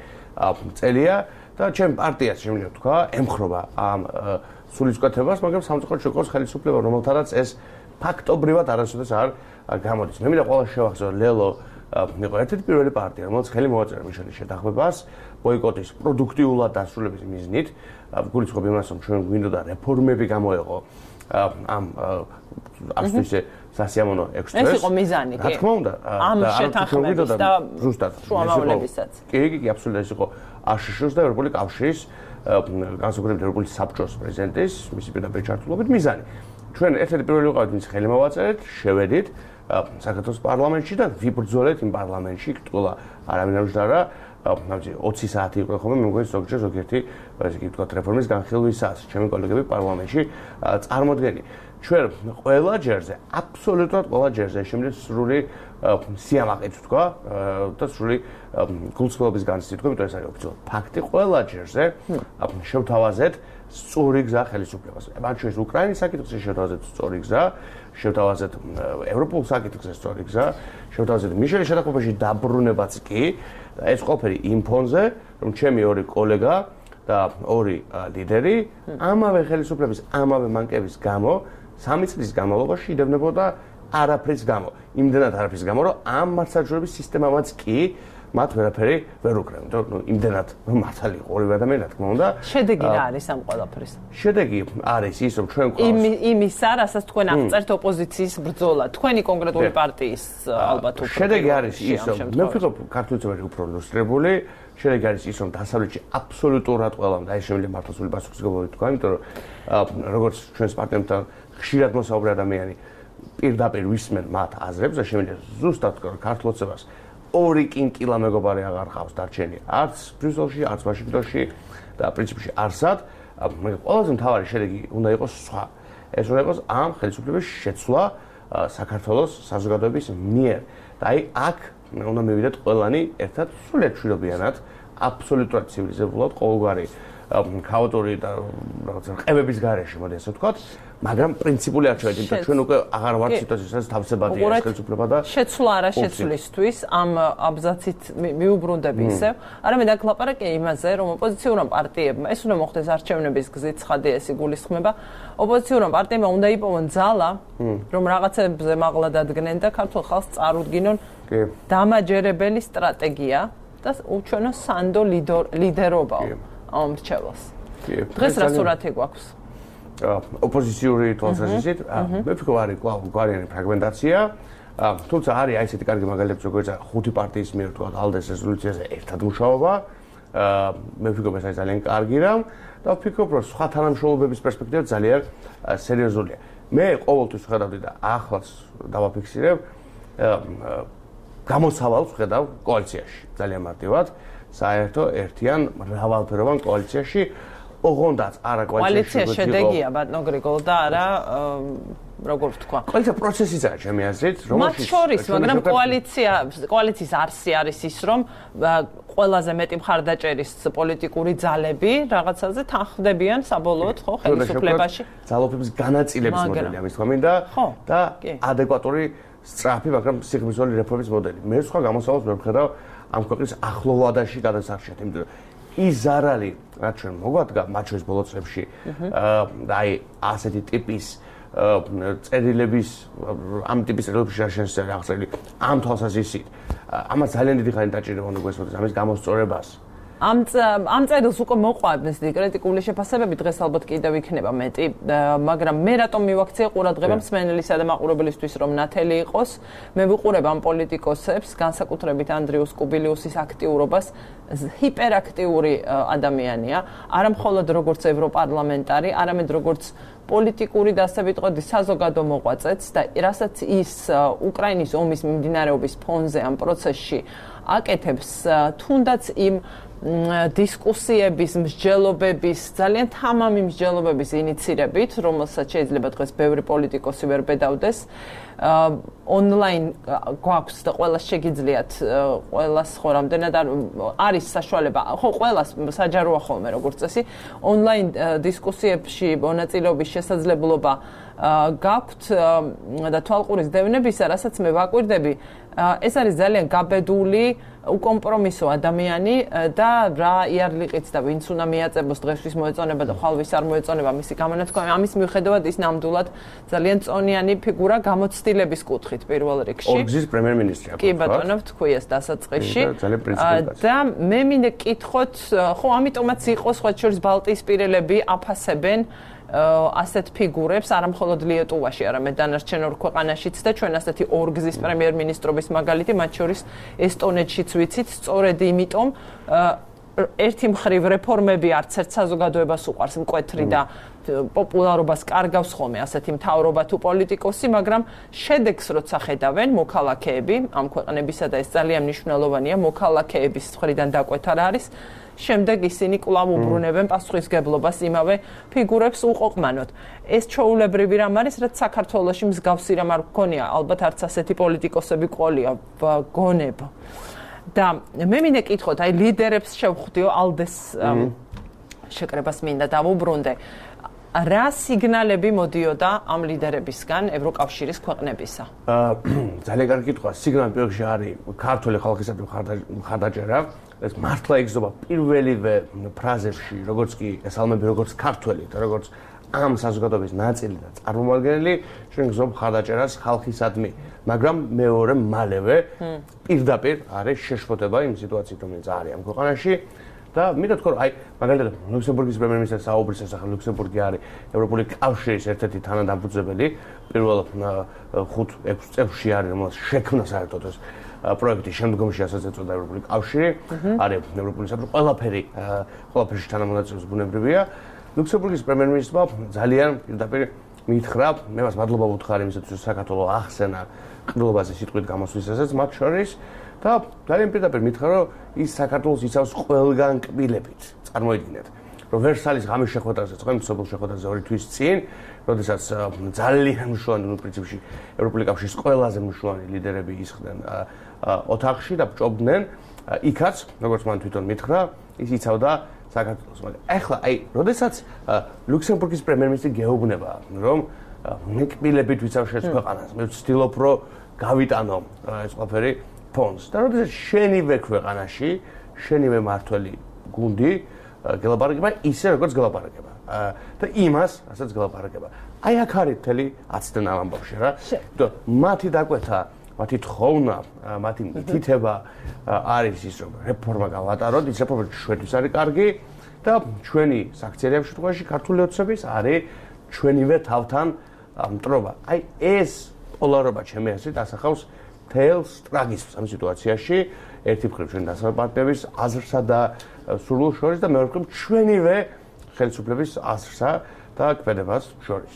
წელია და ჩემ პარტიას შემიძლია თქვა, ემხრობა ამ სულისკვეთებას, მაგრამ სამწუხაროდ შეყავს ხელისუფლება, რომელთანაც ეს ფაქტობრივად არასოდეს არ გამოდის. მე მინდა ყველა შევახსენო, ლელო იყო ერთ-ერთი პირველი პარტია, რომელიც ხელი მოაწერა მიშელის შეთანხმებას, ბოიკოტის პროდუქტიულად დასრულების მიზნით, გულისხმობ იმას, რომ ჩვენ გვინდოდა რეფორმები გამოეყო ამ ასე ისე სასიამოვნო ექსპრეს. ეს იყო მიზანი, კი. რა თქმა უნდა, ამ შეთანხმების და ზუსტად შუამავლებისაც. კი, კი, კი, აბსოლუტურად ეს იყო აშშ-ს და ევროპული კავშირის განსაკუთრებით ევროპული საბჭოს პრეზიდენტის, მისი პირდაპირ ჩართულობით მიზანი. ჩვენ ერთ-ერთი პირველი ვიყავით, ვინც ხელი მოვაწერეთ, შევედით საქართველოს პარლამენტში და ვიბრძოლეთ იმ პარლამენტში, კითხულა არავინ არ უშდარა, ნაბიჯი ოცი საათი იყო ხოლმე, მე მგონი ზოგჯერ ზოგიერთი ესე იგი ვთქვათ რეფორმის განხილვისას, ჩემი კოლეგები პარლამენტში წარმოდგენი. ჩვენ ყველა ჯერზე, აბსოლუტურად ყველა ჯერზე შემიძლია სრული სიამაყით თქვა და სრული გულწრფელობის განცდით თქვა, იმიტომ ეს არის ოფიციალური ფაქტი, ყველა ჯერზე შევთავაზეთ სწორი გზა ხელისუფლებას. მათ შორის უკრაინის საკითხზე შევთავაზეთ სწორი გზა, შევთავაზეთ ევროპულ საკითხზე სწორი გზა, შევთავაზეთ მიშელის შეთანხმებაში დაბრუნებაც კი, ეს ყველაფერი იმ ფონზე, რომ ჩემი ორი კოლეგა და ორი ლიდერი ამავე ხელისუფლების ამავე მანკების გამო სამი წლის განმავლობაში იდევნებოდა არაფრის გამო. იმდენად არაფრის გამო, რომ ამ მართლმსაჯულების სისტემამაც კი მათ ვერაფერი ვერ უკრებდა. ნუ იმდენად მართალი იყო ორივე ადამიანი, რა თქმა უნდა. შედეგი რა არის ამ ყველაფრის? შედეგი არის ის, რომ ჩვენ ყავს იმისა, რასაც თქვენ აღწერთ ოპოზიციის ბრძოლა, თქვენი კონკრეტული პარტიის ალბათ უფრო. შედეგი არის ის, რომ მე ვფიქრობ, ქართული წვერი უფრო ლუსტრებული, შედეგი არის ის, რომ დასავლეთში აბსოლუტურად ყველამ და ეს შემიძლია მართლაცული პასუხისმგებლობით თქვა, იმიტომ რომ როგორც ჩვენს პარტნიორებთან ხშირად მოსაუბრე ადამიანი პირდაპირ ვისმენ მათ აზრებს და შემიძლია ზუსტად თქვა, რომ ქართულ ოცებას ორი კინკილა მეგობარი აღარ ყავს დარჩენი არც ბრიუსელში, არც ვაშინგტონში და პრინციპში არსად. ყველაზე მთავარი შედეგი უნდა იყოს სხვა. ეს უნდა იყოს ამ ხელისუფლების შეცვლა საქართველოს საზოგადოების მიერ. და აი აქ უნდა მივიდეთ ყველანი ერთად სრულიად მშვიდობიანად, აბსოლუტურად ცივილიზებულად, ყოველგვარი ქაოტური და რაღაცა ყევების გარეშე, მოდი ასე ვთქვათ, მაგრამ პრინციპული არჩევანი, იმიტომ რომ ჩვენ უკვე აღარ ვართ სიტუაციაში, სადაც თავისებადია ეს ხელისუფლება და შეცვლა არა შეცვლისთვის ამ აბზაცით მიუბრუნდები ისევ. არამედ აქ ლაპარაკია იმაზე, რომ ოპოზიციურმა პარტიებმა ეს უნდა მოხდეს არჩევნების გზით, ცხადია ეს იგულისხმება. ოპოზიციურმა პარტიებმა უნდა იპოვონ ძალა, რომ რაღაცებზე მაღლა დადგნენ და ქართულ ხალხს წარუდგინონ დამაჯერებელი სტრატეგია და უჩვენონ სანდო ლიდერობაო ამ მრჩეველს. დღეს რა სურათი გვაქვს? ოპოზიციური თვალსაზრისით, მე ვფიქრობ არის კვლავ გვარიანი ფრაგმენტაცია, თუმცა არის აი ესეთი კარგი მაგალითები, როგორც ხუთი პარტიის მიერ თქვა ალდეს რეზოლუციაზე ერთად მუშაობა, მე ვფიქრობ ეს არის ძალიან კარგი რამ და ვფიქრობ, რომ სხვა თანამშრომლობების პერსპექტივა ძალიან სერიოზულია. მე ყოველთვის ვხედავდი და ახლაც დავაფიქსირებ გამოსავალს ვხედავ კოალიციაში ძალიან მარტივად, საერთო ერთიან მრავალფეროვან კოალიციაში ოღონდაც არა კოალიცია შედეგია ბატონო გრიგოლ და არა როგორ ვთქვა კოალიცია პროცესია ჩემი აზრით რომელშიც მათ შორის მაგრამ კოალიცია კოალიციის არსი არის ის რომ ყველაზე მეტი მხარდაჭერის პოლიტიკური ძალები რაღაცაზე თანხმდებიან საბოლოოდ ხო ხელისუფლებაში ძალოფების განაწილების მოდელი ამის თქმა მინდა და ადეკვატური სწრაფი მაგრამ სიღრმისეული რეფორმის მოდელი მე სხვა გამოსავალს ვერ ვხედავ ამ ქვეყნის ახლოვადაში გადასარჩეთ იმიტომ რომ ის ზარალი რაც ჩვენ მოგვადგა მათ შორის ბოლო წლებში და აი ასეთი ტიპის წერილების ამ ტიპის რელიგიის შაშენსა აღწევი ამ თვალსაზრისით ამას ძალიან დიდი ხანი დაჭირება უნდა გვესმოდეს ამის გამოსწორებას ამ ამ წერილს უკვე მოყვარდეს კრიტიკული შეფასებები დღეს ალბათ კიდევ იქნება მეტი მაგრამ მე რატომ მივაქციე ყურადღება მსმენელისა და მაყურებლისთვის რომ ნათელი იყოს მე ვიყურებ ამ პოლიტიკოსებს განსაკუთრებით ანდრიუს კუბილიუსის აქტიურობას ჰიპერაქტიური ადამიანია არა მხოლოდ როგორც ევროპარლამენტარი არამედ როგორც პოლიტიკური და ასე ვიტყოდი საზოგადო მოღვაწეც და რასაც ის უკრაინის ომის მიმდინარეობის ფონზე ამ პროცესში აკეთებს თუნდაც იმ დისკუსიების, მსჯელობების, ძალიან თამამი მსჯელობების ინიცირებით, რომელსაც შეიძლება დღეს ბევრი პოლიტიკოსი ვერ ბედავდეს. ონლაინ გვაქვს და ყველას შეგიძლიათ, ყველას ხო რამდენად არის საშუალება, ხო ყველას საჯაროა ხოლმე როგორც წესი, ონლაინ დისკუსიებში მონაწილეობის შესაძლებლობა გაქვთ და თვალყურის დევნებისა, რასაც მე ვაკვირდები, ეს არის ძალიან გაბედული უკომპრომისო ადამიანი და რა იარლიყიც და ვინც უნდა მიაწებოს დღესთვის მოეწონება და ხალვის არ მოეწონება მისი გამონათქვამი ამის მიუხედავად ის ნამდვილად ძალიან წონიანი ფიგურა გამოცდილების კუთხით პირველ რიგში ორგზის პრემიერ-მინისტრი კი ბატონო ვთქვი ეს დასაწყისში და მე მინდა კითხოთ ხო ამიტომაც იყო სხვა შორის ბალტიისპირელები აფასებენ ასეთ ფიგურებს არა მხოლოდ ლიეტუვაში, არამედ დანარჩენ ორ ქვეყანაშიც და ჩვენ ასეთი ორგზის პრემიერ-მინისტრობის მაგალითი მათ შორის ესტონეთშიც ვიცით, სწორედ იმიტომ ერთი მხრივ რეფორმები არც ერთ საზოგადოებას უყვარს მკვეთრი და პოპულარობას კარგავს ხოლმე ასეთი მთავრობა თუ პოლიტიკოსი, მაგრამ შედეგს როცა ხედავენ მოქალაქეები ამ ქვეყნებისა და ეს ძალიან მნიშვნელოვანია, მოქალაქეების მხრიდან დაკვეთა რა არის შემდეგ ისინი კვლავ უბრუნებენ პასუხისგებლობას იმავე ფიგურებს უყოყმანოთ. ეს ჩვეულებრივი რამ არის, რაც საქართველოში მსგავსი რამ არ გქონია, ალბათ არც ასეთი პოლიტიკოსები ყოლია გონებ. და მე მინდა კითხოთ, აი ლიდერებს შევხვდიო ალდეს შეკრებას მინდა დავუბრუნდე. რა სიგნალები მოდიოდა ამ ლიდერებისგან ევროკავშირის ქვეყნებისა? ძალიან კარგი კითხვა. სიგნალი პირველში არის ქართული ხალხისადმი მხარდაჭერა. ეს მართლა იგზნობა პირველივე ფრაზებში, როგორც კი ესალმები როგორც ქართველი და როგორც ამ საზოგადოების ნაწილი და წარმომადგენელი, ჩვენ გზნობ მხარდაჭერას ხალხისადმი, მაგრამ მეორე მალევე პირდაპირ არის შეშფოთება იმ სიტუაციით, რომელიც არის ამ ქვეყანაში. და მინდა თქვა, აი, მაგალითად, ლუქსემბურგის პრემიერ-მინისტრის საუბრის შესახებ, ლუქსემბურგი არის ევროპული კავშირის ერთ-ერთი თანადამფუძნებელი, პირველ ხუთ ექვს წელში არის, რომელსაც შექმნა საერთოდ ეს პროექტი, შემდგომში ასაც ეწოდა ევროპული კავშირი, არის ევროპული საბჭო, ყველაფერი, ყველაფერში თანამონაწილეობის ბუნებრივია. ლუქსემბურგის პრემიერ-მინისტრმა ძალიან პირდაპირ მითხრა, მე მას მადლობა ვუთხარი იმისათვის, რომ საქართველო ახსენა ყრილობაზე სიტყვით გამოსვლისასაც მათ შორის. და ძალიან პირდაპირ მითხრა, რომ ის საქართველოს იცავს ყველგან კბილებით. წარმოიდგინეთ, რომ ვერსალის ღამის შეხვედრაზე, წვიმის სოფელ შეხვედრაზე ორი თვის წინ, როდესაც ძალიან მნიშვნელოვანი, ნუ პრინციპში ევროპული კავშირის ყველაზე მნიშვნელოვანი ლიდერები ისხდნენ ოთახში და ჭობდნენ, იქაც, როგორც მან თვითონ მითხრა, ის იცავდა საქართველოს. მაგრამ ახლა, აი, როდესაც ლუქსემბურგის პრემიერ-მინისტრი გეუბნება, რომ მე კბილებით ვიცავ შენს ქვეყანას, მე ვცდილობ, რომ გავიტანო ეს ყველაფერი ფონს. და როდესაც შენივე ქვეყანაში, შენივე მართველი გუნდი გელაპარაკება ისე როგორც გელაპარაკება. და იმას, რასაც გელაპარაკება. აი აქ არის მთელი აცდენა ამ ამბავში რა. იმიტომ მათი დაკვეთა, მათი თხოვნა, მათი მითითება არის ის, რომ რეფორმა გავატაროთ, ის რეფორმა ჩვენთვის არის კარგი და ჩვენი საქციელი ამ შემთხვევაში ქართული ოცნების არის ჩვენივე თავთან მტრობა. აი ეს პოლარობა ჩემი აზრით ასახავს თელს ტრაგიზმს ამ სიტუაციაში, ერთი მხრივ ჩვენ დასავლეთ პარტნიორების აზრსა და სურვილს შორის და მეორე მხრივ ჩვენივე ხელისუფლების აზრსა და ქმედებას შორის.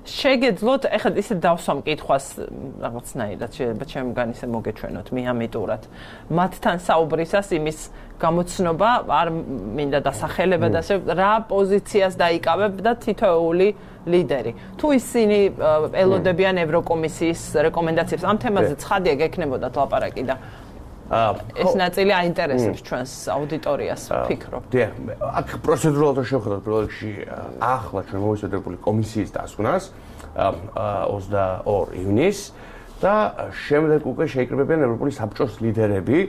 შეგეძლოთ, ეხლა ისე დავსვამ კითხვას რაღაცნაირად, შეიძლება ჩემგან ისე მოგეჩვენოთ მიამიტურად. მათთან საუბრისას იმის გამოცნობა არ მინდა დასახელება და ასე რა პოზიციას დაიკავებ და თითოეული ლიდერი. თუ ისინი ელოდებიან ევროკომისიის რეკომენდაციებს ამ თემაზე ცხადია გექნებოდათ ლაპარაკი და ეს ნაწილი აინტერესებს ჩვენს აუდიტორიას, ვფიქრობ. დიახ, აქ პროცედურულად შევხედოთ პირველ რიგში ახლა ჩვენ მოვისმენთ ევროპული კომისიის დასკვნას ოცდაორი ივნისს და შემდეგ უკვე შეიკრიბებიან ევროპული საბჭოს ლიდერები.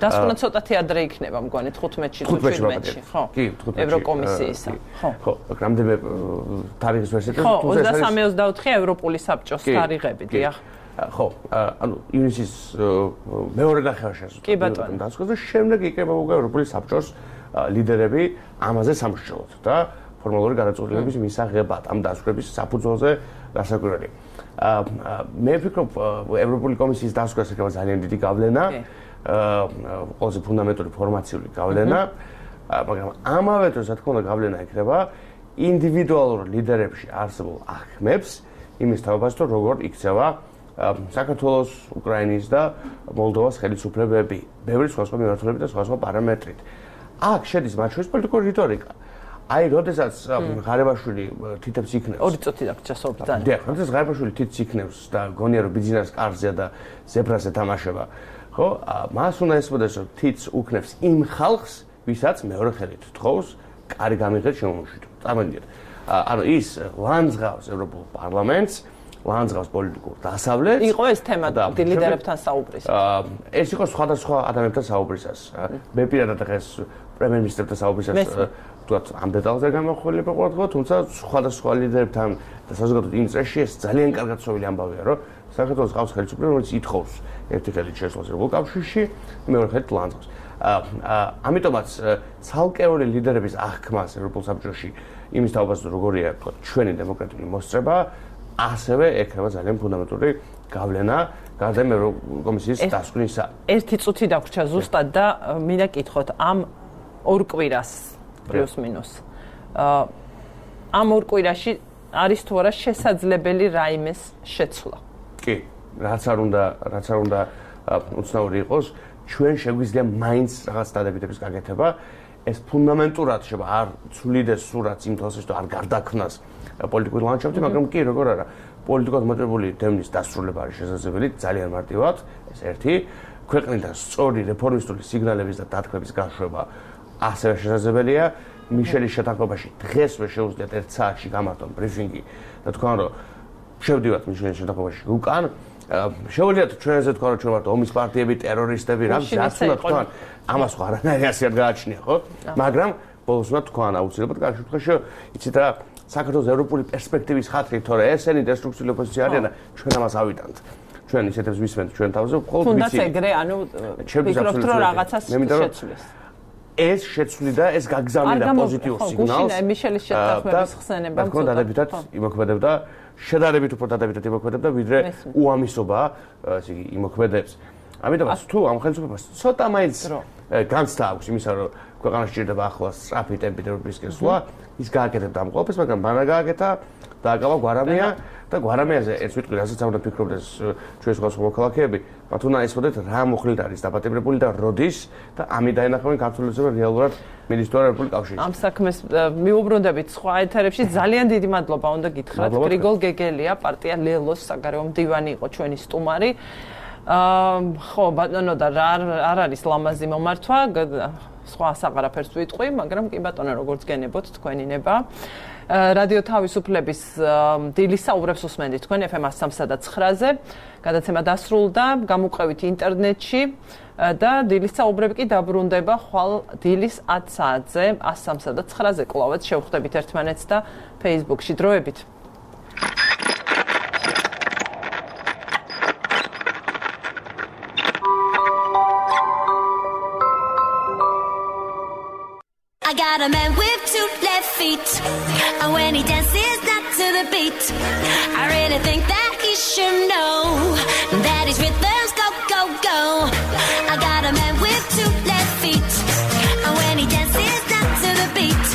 დასკვნა ცოტათი ადრე იქნება, მგონი თხუთმეტში თუ შვიდმეტში, ხო? კი, თხუთმეტში. ევროკომისიისა, ხო. ხო, რამდენიმე თარიღის ვერსია. ხო, ოცდასამი ოცდაოთხი ევროპული საბჭოს თარიღები, დიახ. ხო, ანუ ივნისის მეორე ნახევარში კი ბატონო. დასკვნა და შემდეგ იქნება უკვე ევროპული საბჭოს ლიდერები ამაზე სამშობლოდ და ფორმალური გადაწყვეტილების მისაღებად ამ დასკვნების საფუძველზე გასაკვირველი. მე ვფიქრობ, ევროპული კომისიის დასკვნას ეკავა ძალიან დიდი გავლენა, ყველაზე ფუნდამენტური ფორმაციული გავლენა, მაგრამ ამავე დროს, რა თქმა უნდა, გავლენა ეკრება ინდივიდუალურ ლიდერებში არსებულ ახმებს იმის თავებასთან, როგორ იქცევა საქართველოს, უკრაინის და მოლდოვას ხელისუფლებები, ბევრი სხვადასხვა მიმართულებით და სხვადასხვა პარამეტრით. აქ შედის მათ შორის პოლიტიკური რიტორიკა. აი, როდესაც ღარიბაშვილი თითებს იქნევს. ორი წუთი დაგჭა სოფლთან. დიახ, როდესაც ღარიბაშვილი თითს იქნევს და გონია რომ ბიზნეს კარზეა და ზებრაზე თამაშება, ხო? მას უნდა ესმოდეს, რომ თითს უქნევს იმ ხალხს, ვისაც მეორე ხელით თხოვს, კარი გამიღეთ შემოუშვით. წარმოგიდგენთ. ანუ ის ლანძღავს ევროპულ პარლამენტს, ლანძღავს პოლიტიკურ დასავლეთს. იყო ეს თემა ლიდერებთან საუბრისას. ეს იყო სხვადასხვა ადამიანებთან საუბრისას. მე პირადად დღეს პრემიერ-მინისტრთან საუბრისას თქვათ ამ დეტალზე გამახვილება ყურადღება, თუმცა სხვადასხვა ლიდერებთან და საზოგადოებრივ იმ წრეში ეს ძალიან კარგად ცნობილი ამბავია, რომ საქართველოს ყავს ხელისუფლება, რომელიც ითხოვს ერთი ხელით შესვლას ევროპულ კავშირში, მეორე ხელით ლანძღავს. ამიტომაც ცალკეული ლიდერების აღქმას ევროპულ საბჭოში იმის თავბაზრო როგორია, თქვათ, ჩვენი დემოკრატიული მოსწრება, ასევე ექნება ძალიან ფუნდამენტური გავლენა გარდა ევროკომისიის დასკვნისა. ერთი წუთი დაგვრჩა ზუსტად და მინდა კითხოთ ამ ორ კვირას პლუს მინუს. ამ ორ კვირაში არის თუ არა შესაძლებელი რაიმეს შეცვლა? კი, რაც არ უნდა, რაც არ უნდა უცნაური იყოს, ჩვენ შეგვიძლია მაინც რაღაც დადებითების გაკეთება. ეს ფუნდამენტურად შეიძლება არ ცვლიდეს სურათს იმ თვალსაჩინო არ გარდაქმნას პოლიტიკური ლანდშაფტი, მაგრამ კი როგორ არა, პოლიტიკურად მოტივირებული დევნის დასრულება არის შესაძლებელი ძალიან მარტივად, ეს ერთი, ქვეყნიდან სწორი რეფორმისტული სიგნალების და დათქმების გაშვება ასევე შესაძლებელია მიშელის შეთანხმებაში დღესვე შეუძლიათ ერთ საათში გამართონ ბრიფინგი და თქვენ რომ შევდივართ მიშელის შეთანხმებაში უკან შეუძლიათ ჩვენზე თქვენ რომ ჩვენ ვართ ომის პარტიები, ტერორისტები, რა ვიცი, რაც უნდა თქვენ ამას ხო არანაირი ასე არ გააჩნია, ხო? მაგრამ ბოლოს უნდა თქვენ აუცილებლად კარგი შემთხვევაში იცით რა საქართველოს ევროპული პერსპექტივის ხათრით, თორე ესენი დესტრუქციული ოპოზიცია არიან და ჩვენ ამას ავიტანთ. ჩვენ ისეთებს ვისმენთ ჩვენ თავზე, მხოლოდ ვიცი. თუნდაც ეგრე, ანუ ვფიქრობთ რომ რაღაცას შეცვლის. ეს შეცვლი და ეს გაგზავნიდა პოზიტიურ სიგნალს. ხო, მიშელის შეთანხმების ხსენება მწოდა. და დადებითად იმოქმედებდა, შედარებით უფრო დადებითად იმოქმედებდა, ვიდრე უამისობა, ესე იგი, იმოქმედებს. ამიტომაც თუ ამ ხელისუფლებას ცოტა მაინც განცდა აქვს იმისა, რომ ქვეყანაში ჭირდება ახლა სწრაფი ტემპით ევროპისკენ სვლა, ის გააკეთებდა ამ ყველაფერს, მაგრამ ბანა გააკეთა და აკავა გვარამია და გვარამიაზე ერთ ვიტყვი, რასაც უნდა ფიქრობდეს ჩვენი სხვა მოქალაქეები, მათ უნდა ესწოდეთ რა მოხლით არის დაპატიმრებული და როდის და ამით დაენახავენ ქართულიზე რეალურად მინისტრო ევროპული კავშირში. ამ საქმეს მიუბრუნდებით სხვა ეთერებში. ძალიან დიდი მადლობა უნდა გითხრათ. გრიგოლ გეგელია, პარტია ლელოს საგარეო მდივანი იყო ჩვენი სტუმარი. აა ხო, ბატონო და რა არ არის ლამაზი მომართვა, სხვა საყარაფერს ვიტყვი, მაგრამ კი ბატონო, როგორც გენებოთ თქვენი ნება. რადიო თავისუფლების დილის საუბრებს უსმენთ თქვენ ეფ ემ სამსა და ცხრაზე. გადაცემა დასრულდა, გამოყევით ინტერნეტში და დილის საუბრები კი დაბრუნდება ხვალ დილის ათ საათზე, სამსა და ცხრაზე კლავაც შევხვდებით ერთმანეთს და Facebook-ში დროებით. I got a man with two left feet, and when he dances not to the beat, I really think that he should know that his rhythms go, go, go. I got a man with two left feet, and when he dances not to the beat,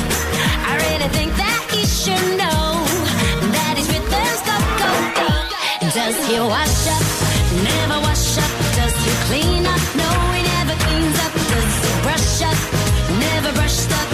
I really think that he should know that his rhythms go, go, go. Does he wash up? Never wash up. Does he clean up? No, he never cleans up. Does he brush up? Never brushed up.